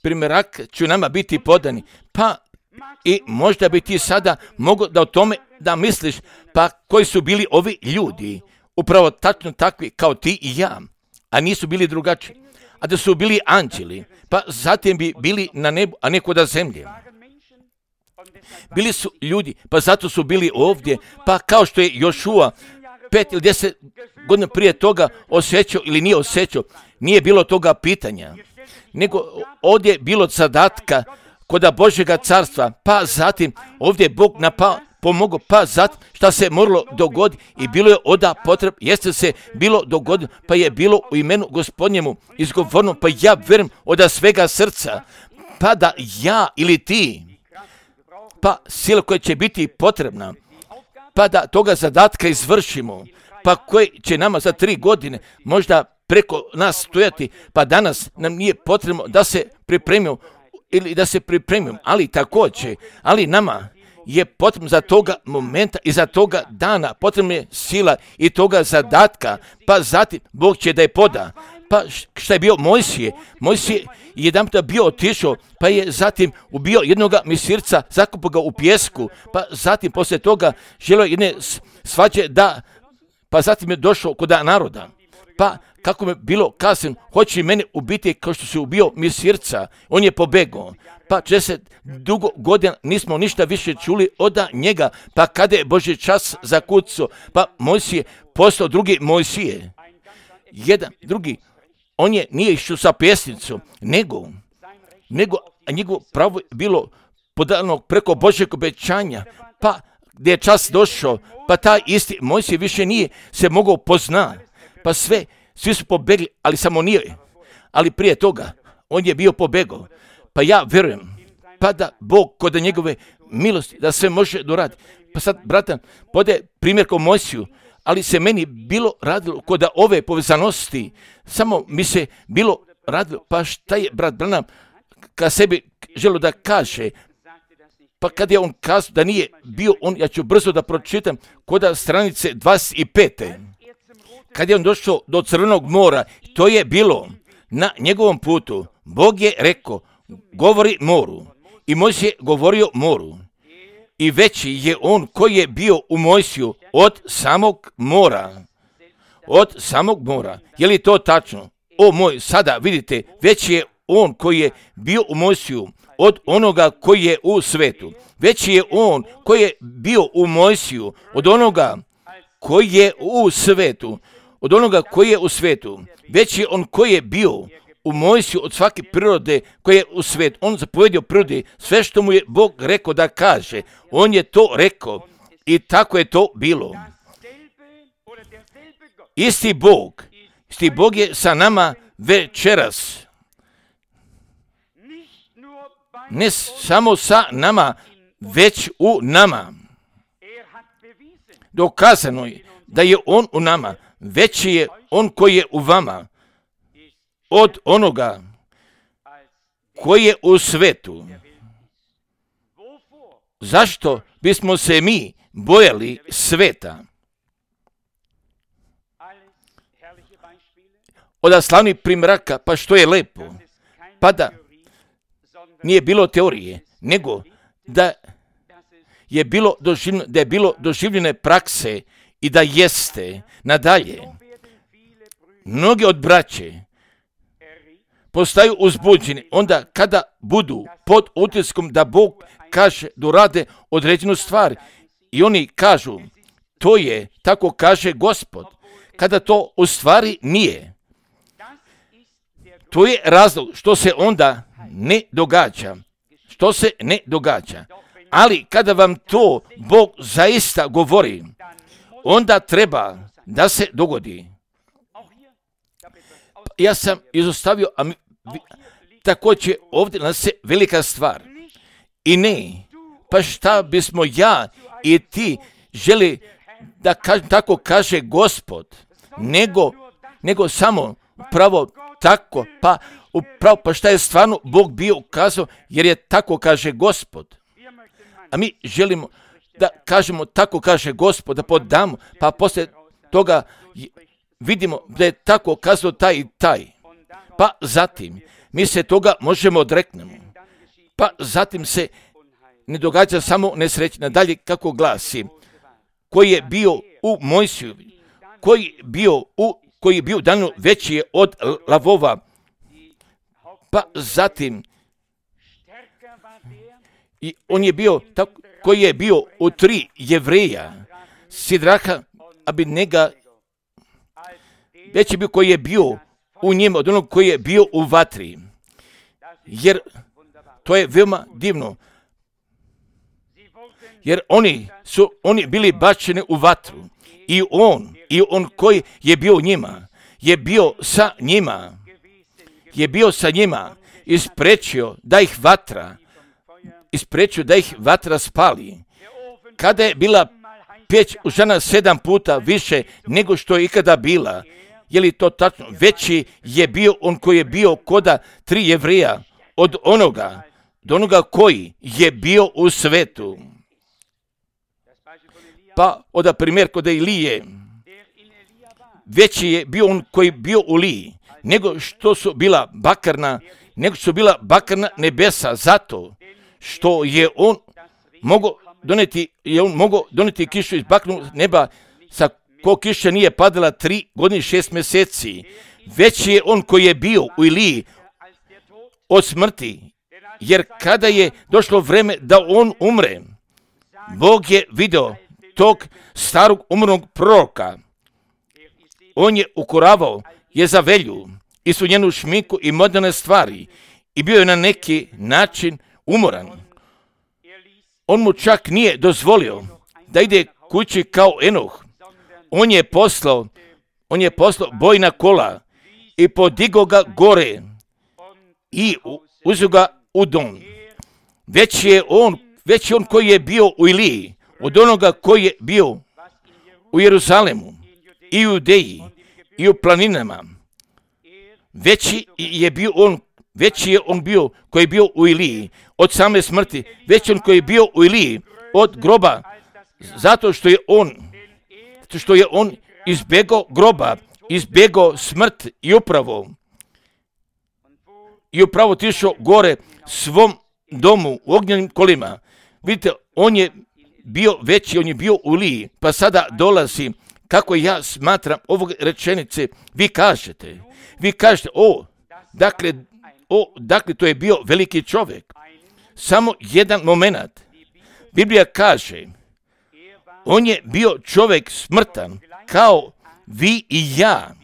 primjeraka će nama biti podani, pa i možda bi ti sada mogo da o tome da misliš, pa koji su bili ovi ljudi, upravo tačno takvi kao ti i ja, a nisu bili drugačiji, a da su bili anđeli, pa zatim bi bili na nebu, a ne kod zemlje. Bili su ljudi, pa zato su bili ovdje, pa kao što je Jošua pet ili deset godina prije toga osjećao ili nije osjećao, nije bilo toga pitanja, nego ovdje je bilo zadatka kod Božjega carstva, pa zatim ovdje je Bog napao, pomogao, pa zatim šta se moralo dogoditi i bilo je oda potreb, jeste se bilo dogodilo, pa je bilo u imenu Gospodnjemu izgovorno, pa ja vjerujem od svega srca, pa da ja ili ti, pa sila koja će biti potrebna, pa da toga zadatka izvršimo, pa koji će nama za tri godine možda preko nas stojati, pa danas nam nije potrebno da se pripremimo ili da se pripremimo, ali također, ali nama je potrebno za toga momenta i za toga dana, potrebna je sila i toga zadatka, pa zatim Bog će da je poda. Pa šta je bio Mojsije? Mojsije je jedan puta bio otišao, pa je zatim ubio jednoga misirca, zakopao ga u pjesku, pa zatim poslije toga želio jedne svađe da, pa zatim je došao kod naroda. Pa kako mi je bilo kazano, hoće mene ubiti kao što se ubio misirca, on je pobegao. Pa četrdeset dugo godina nismo ništa više čuli od njega, pa kada je Božji čas zakucao, pa Mojsije postao drugi Mojsije. Jedan, drugi, on je nije išao sa pjesnicom, nego, nego a njegovo pravo je bilo podano preko Božjeg obećanja, pa gdje je čas došao, pa taj isti Mojsije više nije se mogao pozna, pa sve, svi su pobegli, ali samo nije, ali prije toga, on je bio pobegao, pa ja vjerujem, pa da Bog kod njegove milosti, da sve može doraditi. Pa sad, bratan, pode primjer kao Mojsiju, ali se meni bilo radilo kod ove povezanosti, samo mi se bilo radilo, pa šta je brat Branham kad sebi želio da kaže, pa kad je on kazao da nije bio on, ja ću brzo da pročitam, kod stranice dvadeset pet. Kad je on došao do Crvenog mora, to je bilo na njegovom putu, Bog je rekao, govori moru, i Mojsije je govorio moru. I veći je on koji je bio u Mojsiju od samog mora. Od samog mora. Je li to tačno? O moj, sada vidite, veći je on koji je bio u Mojsiju od onoga koji je u svetu. Veći je on koji je bio u Mojsiju od onoga koji je u svetu. Od onoga koji je u svetu. Veći je on koji je bio u Mojsiju od svake prirode koje je u svijetu. On zapovedio prirodi sve što mu je Bog rekao da kaže. On je to rekao i tako je to bilo. Isti Bog, isti Bog je sa nama večeras. Ne samo sa nama, već u nama. Dokazano je da je on u nama, veći je on koji je u vama. od onoga koji je u svetu. Zašto bismo se mi bojali sveta? Od slavnih primjeraka, pa što je lepo, pa da nije bilo teorije, nego da je bilo doživljene, da je bilo doživljene prakse i da jeste nadalje. Mnogi od braće postaju uzbuđeni onda kada budu pod utiskom da Bog kaže da rade određenu stvar i oni kažu to je, tako kaže Gospod, kada to u stvari nije. To je razlog što se onda ne događa. Što se ne događa. Ali kada vam to Bog zaista govori, onda treba da se dogodi. Ja sam izostavio, a mi, također ovdje nas se velika stvar. I ne, pa šta bismo ja i ti želi da kažem, tako kaže Gospod, nego, nego samo pravo tako, pa upravo, pa šta je stvarno Bog bio ukazao, jer je tako kaže Gospod. A mi želimo da kažemo tako kaže Gospod, da podamo, pa poslije toga vidimo da je tako kazao taj i taj. Pa zatim mi se toga možemo odreknemo. Pa zatim se ne događa samo nesrećna. Dalje kako glasi, koji je bio u Mojsiju, koji je bio u koji je bio danu veći je od lavova. Pa zatim i on je bio tako, koji je bio u tri Jevreja, Sidraha, Abednega, veći je bio koji je bio u njemu od onog koji je bio u vatri. Jer to je veoma divno. Jer oni su oni bili bačeni u vatru. I on, i on koji je bio u njima, je bio sa njima, je bio sa njima, isprečio da ih vatra, isprečio da ih vatra spali. Kada je bila peć užana sedam puta više nego što je ikada bila, je li to tačno? Veći je bio on koji je bio koda tri Jevreja od onoga, do onoga koji je bio u svetu. Pa od primjer kod Ilije, veći je bio on koji je bio u Liji, nego što su bila bakarna, nego što su bila bakarna nebesa, zato što je on mogao doneti, je on mogao doneti kišu iz bakarnog neba, sa ko kiša nije padala tri godine i šest mjeseci. Veći je on koji je bio u Iliji od smrti, jer kada je došlo vreme da on umre, Bog je video tog starog umrlog proroka. On je ukoravao Jezavelju i su njenu šminku i moderne stvari i bio je na neki način umoran. On mu čak nije dozvolio da ide kući kao Enoh. On je poslao, on je poslao bojna kola i podigao ga gore i uzeo ga u dom. Već je on, već je on koji je bio u Iliji, od onoga koji je bio u Jeruzalemu i u Judeji i u planinama. Veći je bio on, veći je on bio koji je bio u Iliji od same smrti, veći on koji je bio u Iliji od groba, zato što je on, zato što je on izbjegao groba, izbjegao smrt i upravo i upravo tišao gore svom domu u ognjenim kolima. Vidite, on je bio veći, on je bio u Iliji, pa sada dolazi, kako ja smatram ovog rečenice, vi kažete, vi kažete, o, dakle, o, dakle, to je bio veliki čovjek. Samo jedan moment. Biblija kaže, on je bio čovjek smrtan, kao vi i ja,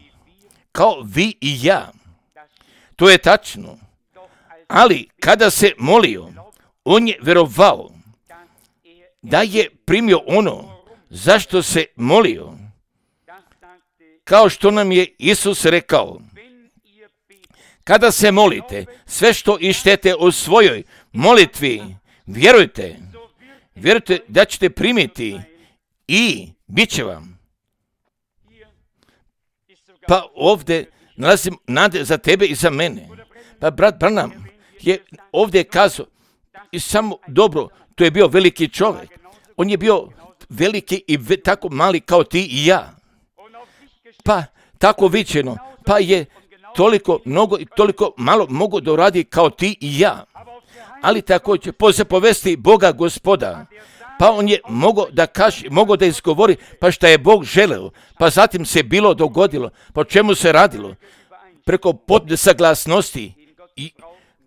kao vi i ja. To je tačno. Ali kada se molio, on je vjerovao da je primio ono zašto se molio. Kao što nam je Isus rekao, kada se molite, sve što ištete u svojoj molitvi, vjerujte, vjerujte da ćete primiti i bit će vam. Pa ovdje nalazim nade za tebe i za mene. Pa brat Branham je ovdje kazao i samo dobro, to je bio veliki čovjek. On je bio veliki i ve, tako mali kao ti i ja. Pa tako viđeno, pa je toliko mnogo i toliko malo mogu da uradi kao ti i ja. Ali također po zapovesti Boga Gospoda, pa on je mogao da kaže, mogao da izgovori, pa šta je Bog želeo, pa zatim se bilo dogodilo, pa o čemu se radilo, preko potpune saglasnosti i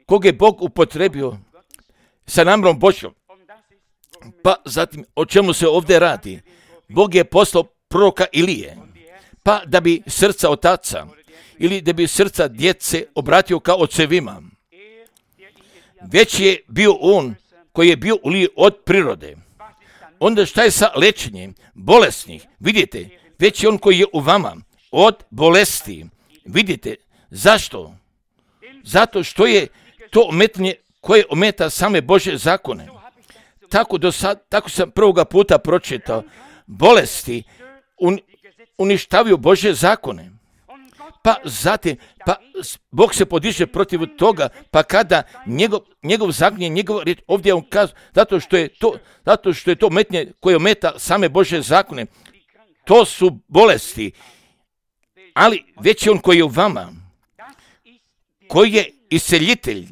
kog je Bog upotrebio sa namjerom Božjom. Pa zatim o čemu se ovdje radi? Bog je poslao proroka Ilije, pa da bi srca otaca ili da bi srca djece obratio kao ocevima. Već je bio on koji je bio u Iliji od prirode. Onda šta je sa lečenjem bolesnih? Vidite, već je on koji je u vama od bolesti. Vidite, zašto? Zato što je to ometanje koje ometa same Božje zakone. Tako, do sad, tako sam prvoga puta pročitao. Bolesti un, uništavaju Božje zakone. Pa zatim, pa Bog se podiže protiv toga, pa kada njegov, njegov zakon je njegov riječ, ovdje on kaže, zato što je to, zato što je to metnje koje ometa same Božje zakone, to su bolesti, ali već je on koji je u vama, koji je isceljitelj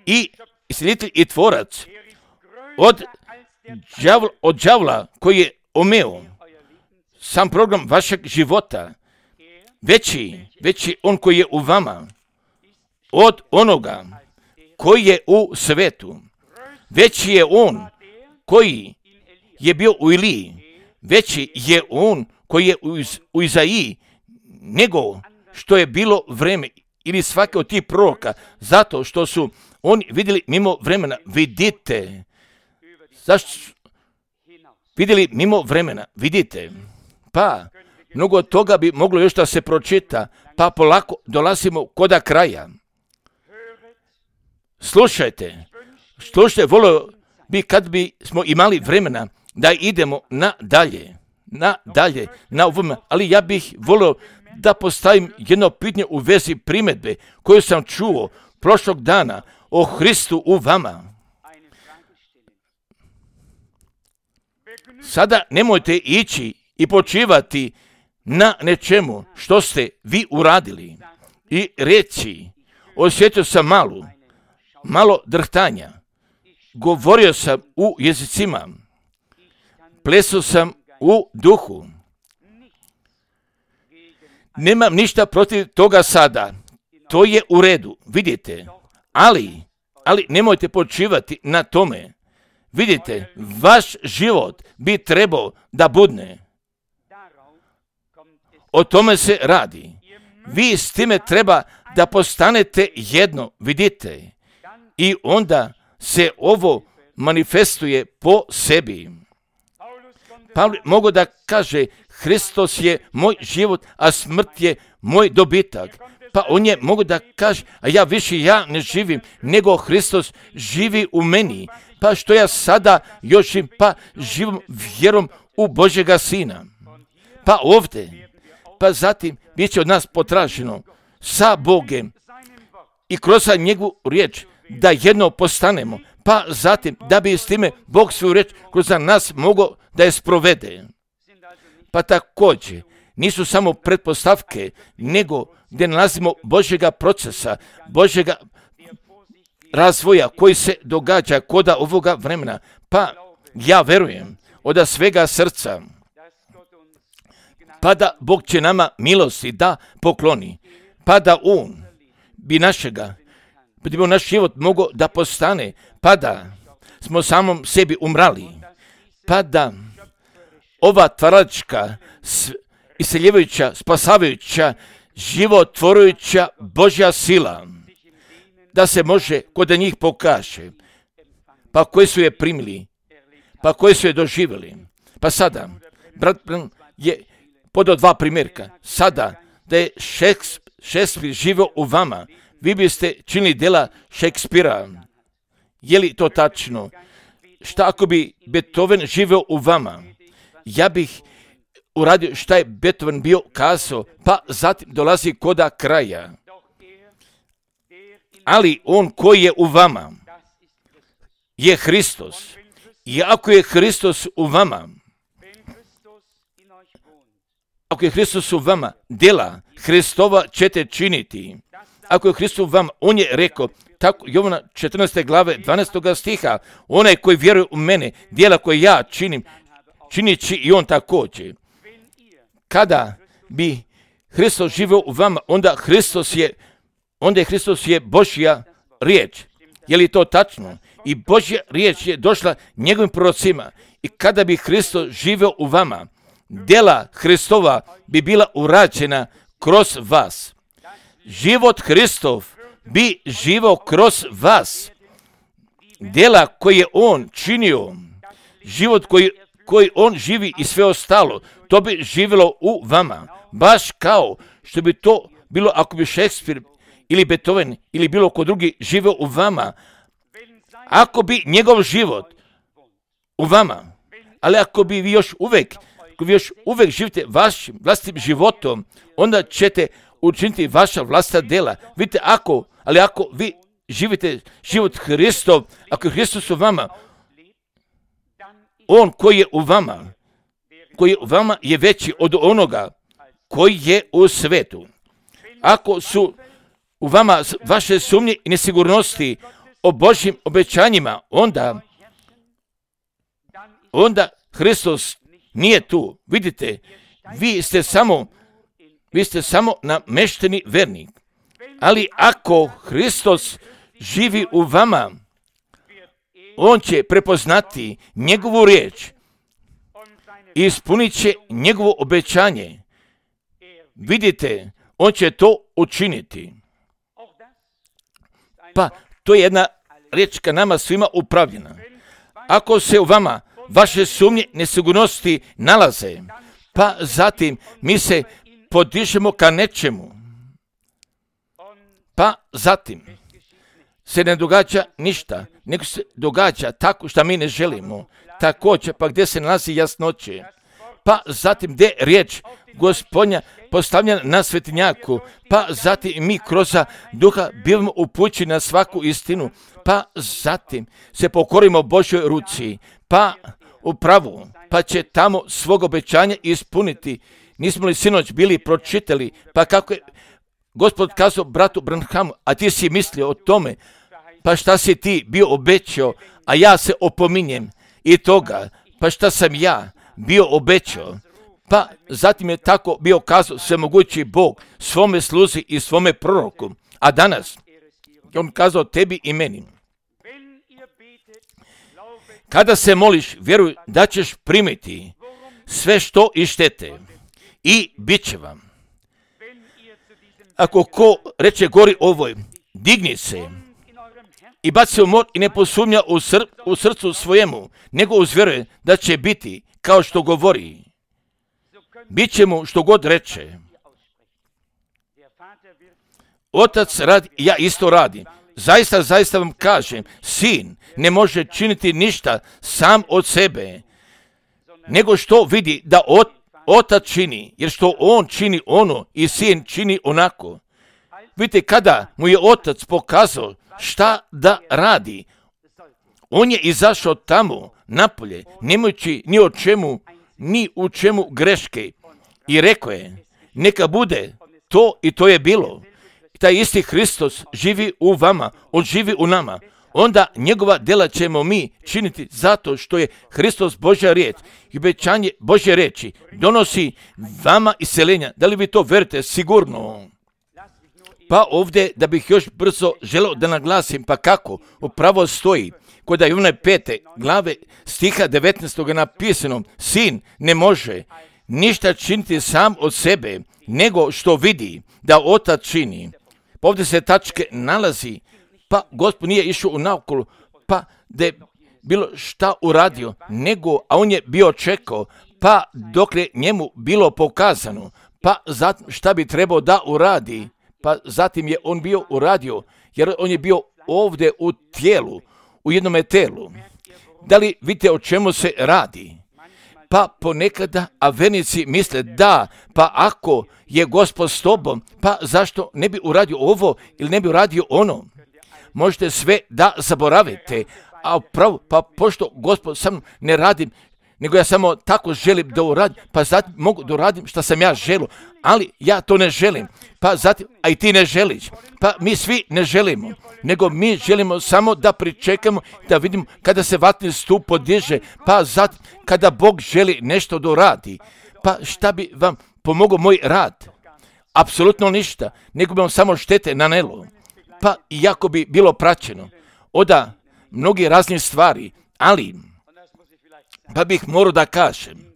i isceljitelj i tvorac od đavla, od đavla koji je omeo sam program vašeg života. Veći, veći on koji je u vama od onoga koji je u svetu. Veći je on koji je bio u Iliji. Veći je on koji je u, Iz, u Izaiji nego što je bilo vreme ili svake od tih proroka, zato što su oni vidjeli mimo vremena. Vidite. Zašto su vidjeli mimo vremena? Vidite. Pa mnogo od toga bi moglo još da se pročita, pa polako dolazimo koda kraja. Slušajte, slušajte, volio bi kad bi smo imali vremena da idemo na dalje, na dalje, na ovom, ali ja bih volio da postavim jedno pitanje u vezi primjedbe koju sam čuo prošlog dana o Hristu u vama. Sada nemojte ići i počivati na nečemu što ste vi uradili i reći, osjetio sam malu, malo drhtanja, govorio sam u jezicima, plesao sam u duhu. Nemam ništa protiv toga sada, to je u redu, vidite, ali, ali nemojte počivati na tome. Vidite, vaš život bi trebao da budne. O tome se radi. Vi s time treba da postanete jedno, vidite. I onda se ovo manifestuje po sebi. Pavle mogu da kaže, Hristos je moj život, a smrt je moj dobitak. Pa on je mogu da kaže, a ja više ja ne živim, nego Hristos živi u meni. Pa što ja sada još im, pa živim vjerom u Božjega Sina. Pa ovdje, pa zatim bit će od nas potraženo sa Bogem i kroz njegovu riječ da jedno postanemo, pa zatim da bi s time Bog svoju riječ kroz nas mogao da je sprovede. Pa također nisu samo pretpostavke, nego gdje nalazimo Božjega procesa, Božjega razvoja koji se događa koda ovoga vremena. Pa ja verujem od svega srca, pa da Bog će nama milosti da pokloni, pa da On bi našega, pa da bi naš život mogao da postane, pa da smo samom sebi umrali, pa da ova tvaračka, iseljevajuća, spasavajuća, životvorujuća Božja sila, da se može kod njih pokaže, pa koji su je primili, pa koji su je doživjeli. Pa sada, brat je podao dva primjerka. Sada, da je Šekspir živio u vama, vi biste činili djela Šekspira. Je li to tačno? Šta ako bi Beethoven živio u vama? Ja bih uradio šta je Beethoven bio kazao, pa zatim dolazi koda kraja. Ali on koji je u vama je Hristos. I ako je Hristos u vama, ako je Hristos u vama, djela Hristova ćete činiti. Ako je Hristos u vama, on je rekao, tako Jovana četrnaeste glave dvanaestog stiha, onaj koji vjeruje u mene, djela koje ja činim, činit će i on također. Kada bi Hristos živio u vama, onda Hristos je, onda je Hristos je Božja riječ. Je li to tačno? I Božja riječ je došla njegovim prorocima. I kada bi Hristos živio u vama, djela Hristova bi bila urađena kroz vas. Život Hristov bi živio kroz vas. Djela koje je on činio, život koji, koji on živi i sve ostalo, to bi živjelo u vama. Baš kao što bi to bilo ako bi Šekspir ili Beethoven ili bilo ko drugi živio u vama. Ako bi njegov život u vama, ali ako bi vi još uvijek, ako vi još uvijek živite vašim vlastitim životom, onda ćete učiniti vaša vlastita djela. Vidite, ako, ali ako vi živite život Hristov, ako je Hristos u vama, on koji je u vama, koji je u vama je veći od onoga koji je u svetu. Ako su u vama vaše sumnje i nesigurnosti o Božjim obećanjima, onda, onda Hristos nije tu. Vidite, vi ste samo, vi ste samo namešteni vernik. Ali ako Hristos živi u vama, on će prepoznati njegovu riječ i ispunit će njegovo obećanje. Vidite, on će to učiniti. Pa, to je jedna riječ ka nama svima upravljena. Ako se u vama vaše sumnje nesigurnosti nalaze, pa zatim mi se podižemo ka nečemu, pa zatim se ne događa ništa, nego se događa tako što mi ne želimo. Također, pa gdje se nalazi jasnoće, pa zatim gdje riječ Gospodnja postavljena na svetinjaku, pa zatim mi kroz duha bivamo upućeni na svaku istinu, pa zatim se pokorimo Božoj ruci, pa u pravu, pa će tamo svog obećanja ispuniti. Nismo li sinoć bili pročitali, pa kako je Gospod kazao bratu Branhamu, a ti si mislio o tome, pa šta si ti bio obećao, a ja se opominjem i toga, pa šta sam ja bio obećao. Pa zatim je tako bio kazao svemogući Bog svome sluzi i svome proroku. A danas on kazao tebi i meni. Kada se moliš, vjeruj da ćeš primiti sve što ištete i bit će vam. Ako ko reče gori ovoj, digni se i baci se u mor i ne posumnja u, sr- u srcu svojemu, nego uzvjeruje da će biti kao što govori. Biće mu što god reče. Otac radi, ja isto radim. Zaista, zaista vam kažem, sin ne može činiti ništa sam od sebe, nego što vidi da ot, otac čini, jer što on čini ono i sin čini onako. Vidite, kada mu je otac pokazao šta da radi, on je izašao tamo napolje, nemajući ni o čemu, ni u čemu greške. I rekao je, neka bude to i to je bilo. Taj isti Hristos živi u vama, on živi u nama. Onda njegova djela ćemo mi činiti zato što je Hristos Božja riječ. I obećanje Božje riječi donosi vama iseljenja. Da li vi to verite? Sigurno. Pa ovdje da bih još brzo želeo da naglasim, pa kako upravo stoji kod Jovana pete glave stiha devetnaestog napisano, sin ne može ništa činiti sam od sebe, nego što vidi da otac čini. Pa ovdje se tačke nalazi, pa Gospod nije išao u naokolo, pa da je bilo šta uradio, nego, a on je bio čekao, pa dok je njemu bilo pokazano, pa zatim šta bi trebao da uradi, pa zatim je on bio uradio, jer on je bio ovdje u tijelu, u jednome telu. Da li vidite o čemu se radi? Pa ponekada, a vernici misle da, pa ako je Gospod s tobom, pa zašto ne bi uradio ovo ili ne bi uradio ono? Možete sve da zaboravite, a pravo, pa pošto Gospod sam ne radim, nego ja samo tako želim da uradim, pa zatim mogu da uradim što sam ja želio, ali ja to ne želim, pa zatim, a i ti ne želiš, pa mi svi ne želimo, nego mi želimo samo da pričekamo, da vidimo kada se vatni stup podiže, pa zatim kada Bog želi nešto da uradi, pa šta bi vam pomogao moj rad? Apsolutno ništa, nego bi vam samo štete nanelo, pa iako bi bilo praćeno, oda mnogi razni stvari, ali pa bih morao da kažem,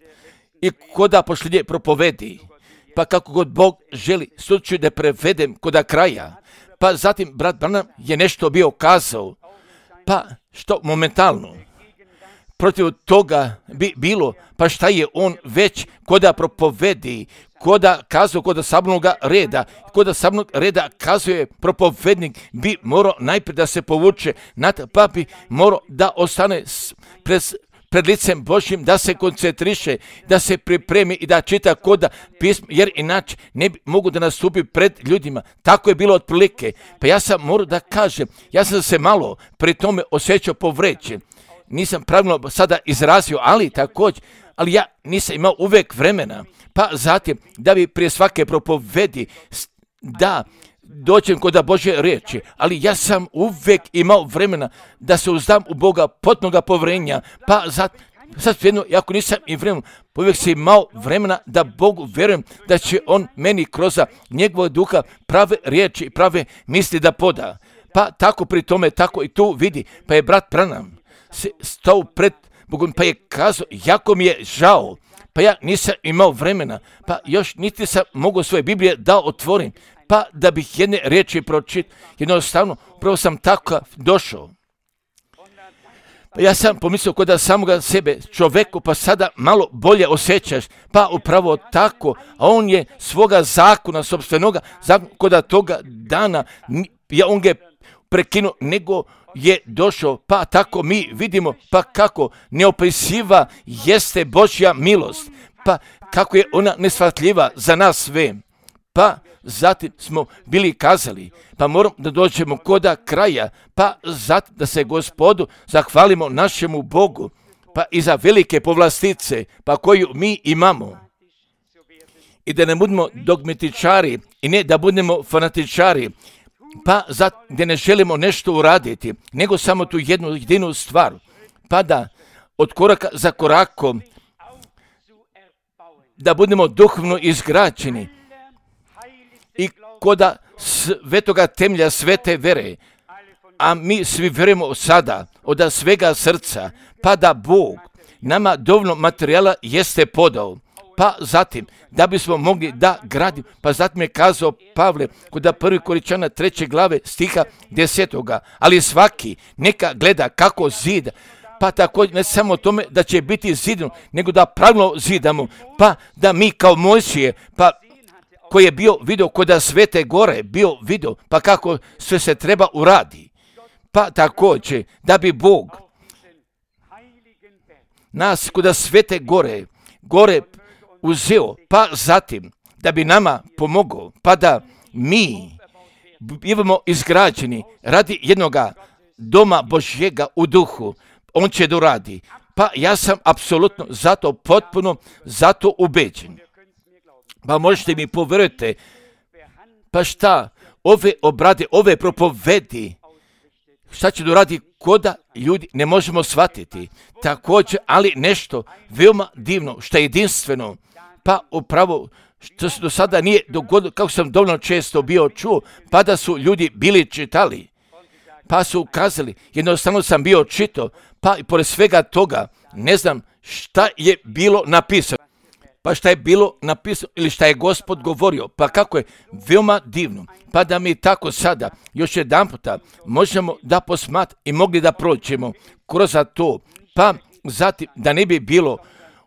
i koda pošlje propovedi, pa kako god Bog želi, slučaju da prevedem koda kraja, pa zatim brat Branham je nešto bio kazao, pa što momentalno, protiv toga bi bilo, pa šta je on već koda propovedi, koda kazao koda sabornoga reda, koda sabornog reda kazuje propovednik, bi morao najprije da se povuče, pa bi morao da ostane pred pred licem Božjim, da se koncentriše, da se pripremi i da čita koda pisma, jer inače ne bi mogu da nastupi pred ljudima. Tako je bilo otprilike. Pa ja sam morao da kažem, ja sam se malo pri tome osjećao povređen. Nisam pravilno sada izrazio, ali također, ali ja nisam imao uvek vremena. Pa zatim, da bi prije svake propovedi, da dođem kod Božje riječi, ali ja sam uvek imao vremena da se uzdam u Boga potpunoga povjerenja, pa zato, sad jedno, ako nisam i vremena, uvek sam imao vremena da Bogu vjerujem da će On meni kroz njegovog duha prave riječi i prave misli da poda. Pa tako pri tome, tako i tu vidi, pa je brat Branham stao pred Bogom, pa je kazao, jako mi je žao, pa ja nisam imao vremena, pa još niti sam mogao svoje Biblije da otvorim, pa da bih jedne riječi pročitao, jednostavno, upravo sam tako došao. Pa ja sam pomislio kod samoga sebe, čoveku, pa sada malo bolje osjećaš, pa upravo tako, a on je svoga zakona, sobstvenoga zakona, kod toga dana, ja on ga je prekinuo, nego je došao, pa tako mi vidimo, pa kako neopisiva jeste Božja milost, pa kako je ona nesvatljiva za nas sve, pa zatim smo bili kazali, pa moramo da dođemo koda kraja, pa zatim da se Gospodu zahvalimo našemu Bogu, pa i za velike povlastice, pa koju mi imamo. I da ne budemo dogmatičari i ne da budemo fanatičari, pa zato da ne želimo nešto uraditi, nego samo tu jednu jedinu stvar, pa da od koraka za korakom, da budemo duhovno izgrađeni, i koda svetoga temelja svete vere, a mi svi verujemo sada od svega srca, pa da Bog nama dovoljno materijala jeste podao, pa zatim da bismo mogli da gradimo, pa zatim je kazao Pavle kod prvi Korinčana treće glave stiha desetoga, ali svaki neka gleda kako zida, pa također ne samo o tome da će biti zidano, nego da pravilno zidamo, pa da mi kao Mojsije, pa koji je bio video kod Svete gore, bio video, pa kako sve se treba uradi. Pa također, da bi Bog nas kod Svete gore, gore uzeo, pa zatim, da bi nama pomogao, pa da mi bivamo izgrađeni radi jednoga doma Božjega u duhu, on će da uradi. Pa ja sam apsolutno zato potpuno, zato ubeđen. Pa možete mi povjerujete, pa šta, ove obrade, ove propovedi, šta će doradi koda ljudi ne možemo shvatiti. Također, ali nešto veoma divno, što je jedinstveno, pa upravo što se do sada nije dogodilo, kako sam dovoljno često bio čuo, pa da su ljudi bili čitali, pa su ukazali, jednostavno sam bio čitao, pa i pored svega toga, ne znam šta je bilo napisano. Pa šta je bilo napisano ili šta je Gospod govorio, pa kako je veoma divno, pa da mi tako sada još jedan puta možemo da posmat i mogli da prođemo kroz to, pa zatim da ne bi bilo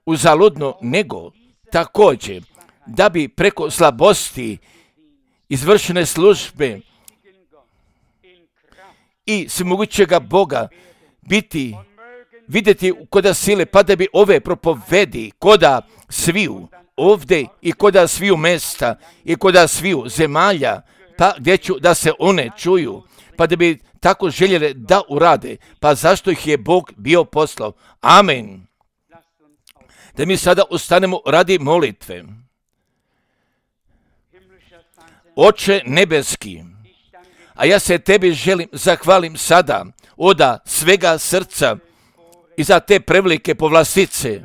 uzaludno, nego također da bi preko slabosti izvršene službe i svemogućega Boga biti vidjeti koda sile, pa da bi ove propovedi koda sviju ovdje i koda sviju mesta i koda sviju zemalja, pa gdje ću da se one čuju, pa da bi tako željeli da urade, pa zašto ih je Bog bio poslao. Amen. Da mi sada ustanemo radi molitve. Oče nebeski, a ja se tebi želim, zahvalim sada oda svega srca i za te prevelike povlastice.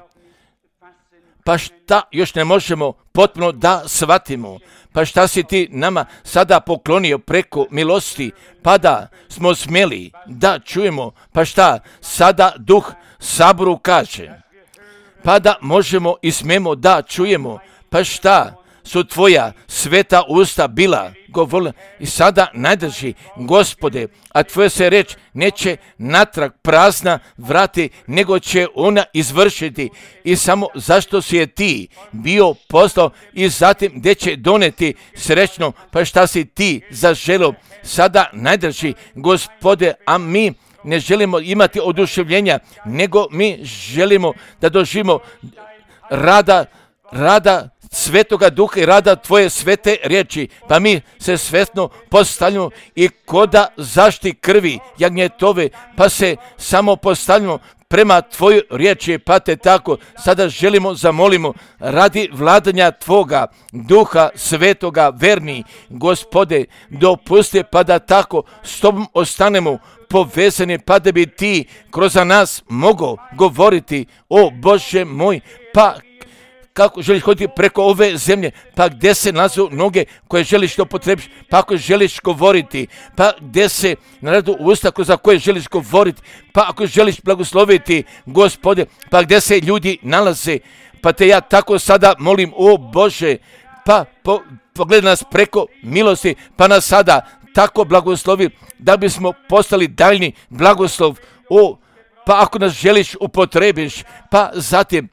Pa šta još ne možemo potpuno da shvatimo? Pa šta si ti nama sada poklonio preko milosti, pa da smo smjeli da čujemo? Pa šta sada Duh Saboru kaže? Pa da možemo i smemo da čujemo? Pa šta su tvoja sveta usta bila govorila i sada najdrži, Gospode, a tvoja se reč neće natrag prazna vrati, nego će ona izvršiti. I samo zašto si je ti bio poslao i zatim gdje će doneti srećno, pa šta si ti zaželio sada najdrži, Gospode, a mi ne želimo imati oduševljenja, nego mi želimo da doživimo rada, rada Svetoga Duha i rada tvoje svete riječi, pa mi se svetno postavljamo i koda zašti krvi jagnjetove, pa se samo postavljamo prema tvojoj riječi, pa te tako sada želimo, zamolimo radi vladanja tvoga Duha Svetoga, verni Gospode, dopusti pa da tako s tobom ostanemo povezani, pa da bi ti kroz nas mogao govoriti, o Bože moj, pa kako želiš hoditi preko ove zemlje, pa gdje se nalaze noge koje želiš da upotrebiš, pa ako želiš govoriti, pa gdje se naradu usta za koje želiš govoriti, pa ako želiš blagosloviti, Gospode, pa gdje se ljudi nalaze, pa te ja tako sada molim, o Bože, pa po, pogledaj nas preko milosti, pa nas sada tako blagoslovi, da bismo postali daljni blagoslov, o, pa ako nas želiš upotrebiš, pa zatim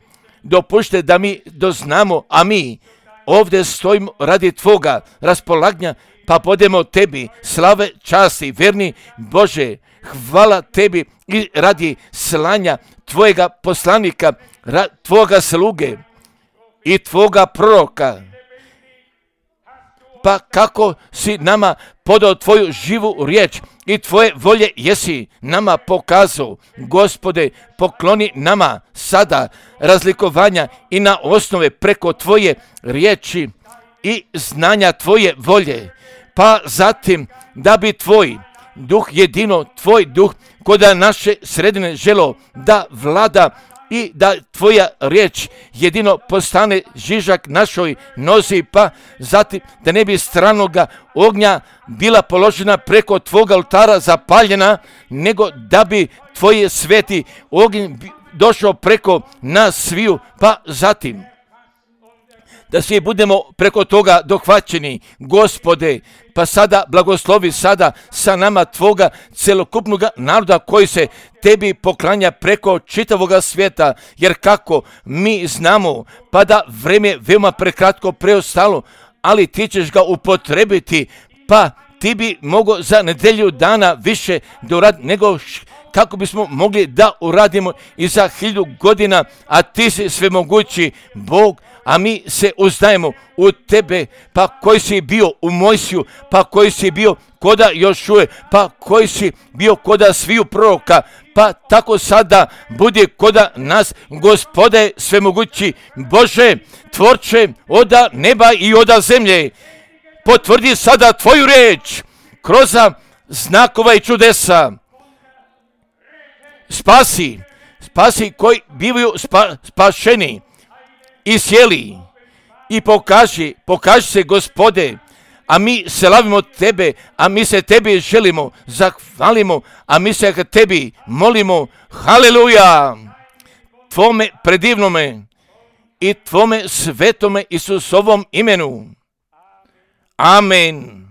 dopušte da mi doznamo, a mi ovdje stojimo radi tvoga raspolaganja, pa podemo tebi slave, časti, verni Bože, hvala tebi i radi slanja tvojega poslanika, ra, tvoga sluge i tvoga proroka. Pa kako si nama podao tvoju živu riječ i tvoje volje jesi nama pokazao, Gospode, pokloni nama sada razlikovanja i na osnove preko tvoje riječi i znanja tvoje volje, pa zatim da bi tvoj duh, jedino tvoj duh, koda naše sredine želo da vlada i da tvoja riječ jedino postane žižak našoj nozi, pa zatim da ne bi stranoga ognja bila položena preko tvoga oltara zapaljena, nego da bi tvoje sveti ognj došao preko nas sviju, pa zatim da svi budemo preko toga dohvaćeni, Gospode, pa sada blagoslovi sada sa nama tvoga celokupnog naroda koji se tebi poklanja preko čitavoga svijeta, jer kako mi znamo, pa da vreme veoma prekratko preostalo, ali ti ćeš ga upotrebiti, pa ti bi mogao za nedelju dana više da uradi nego kako bismo mogli da uradimo i za hiljadu godina, a ti si svemogući Bog, a mi se uzdajemo u tebe, pa koji si bio u Mojsiju, pa koji si bio koda Jošuje, pa koji si bio koda sviju proroka, pa tako sada budi koda nas, Gospode svemogući Bože, tvorče oda neba i oda zemlje, potvrdi sada tvoju riječ kroz znakova i čudesa. Spasi, spasi koji bivaju spa, spašeni i sjeli i pokaži, pokaži se, Gospode, a mi slavimo tebe, a mi se tebi želimo, zahvalimo, a mi se tebi molimo, haleluja, tvome predivnome i tvome svetome Isusovom imenu. Amen.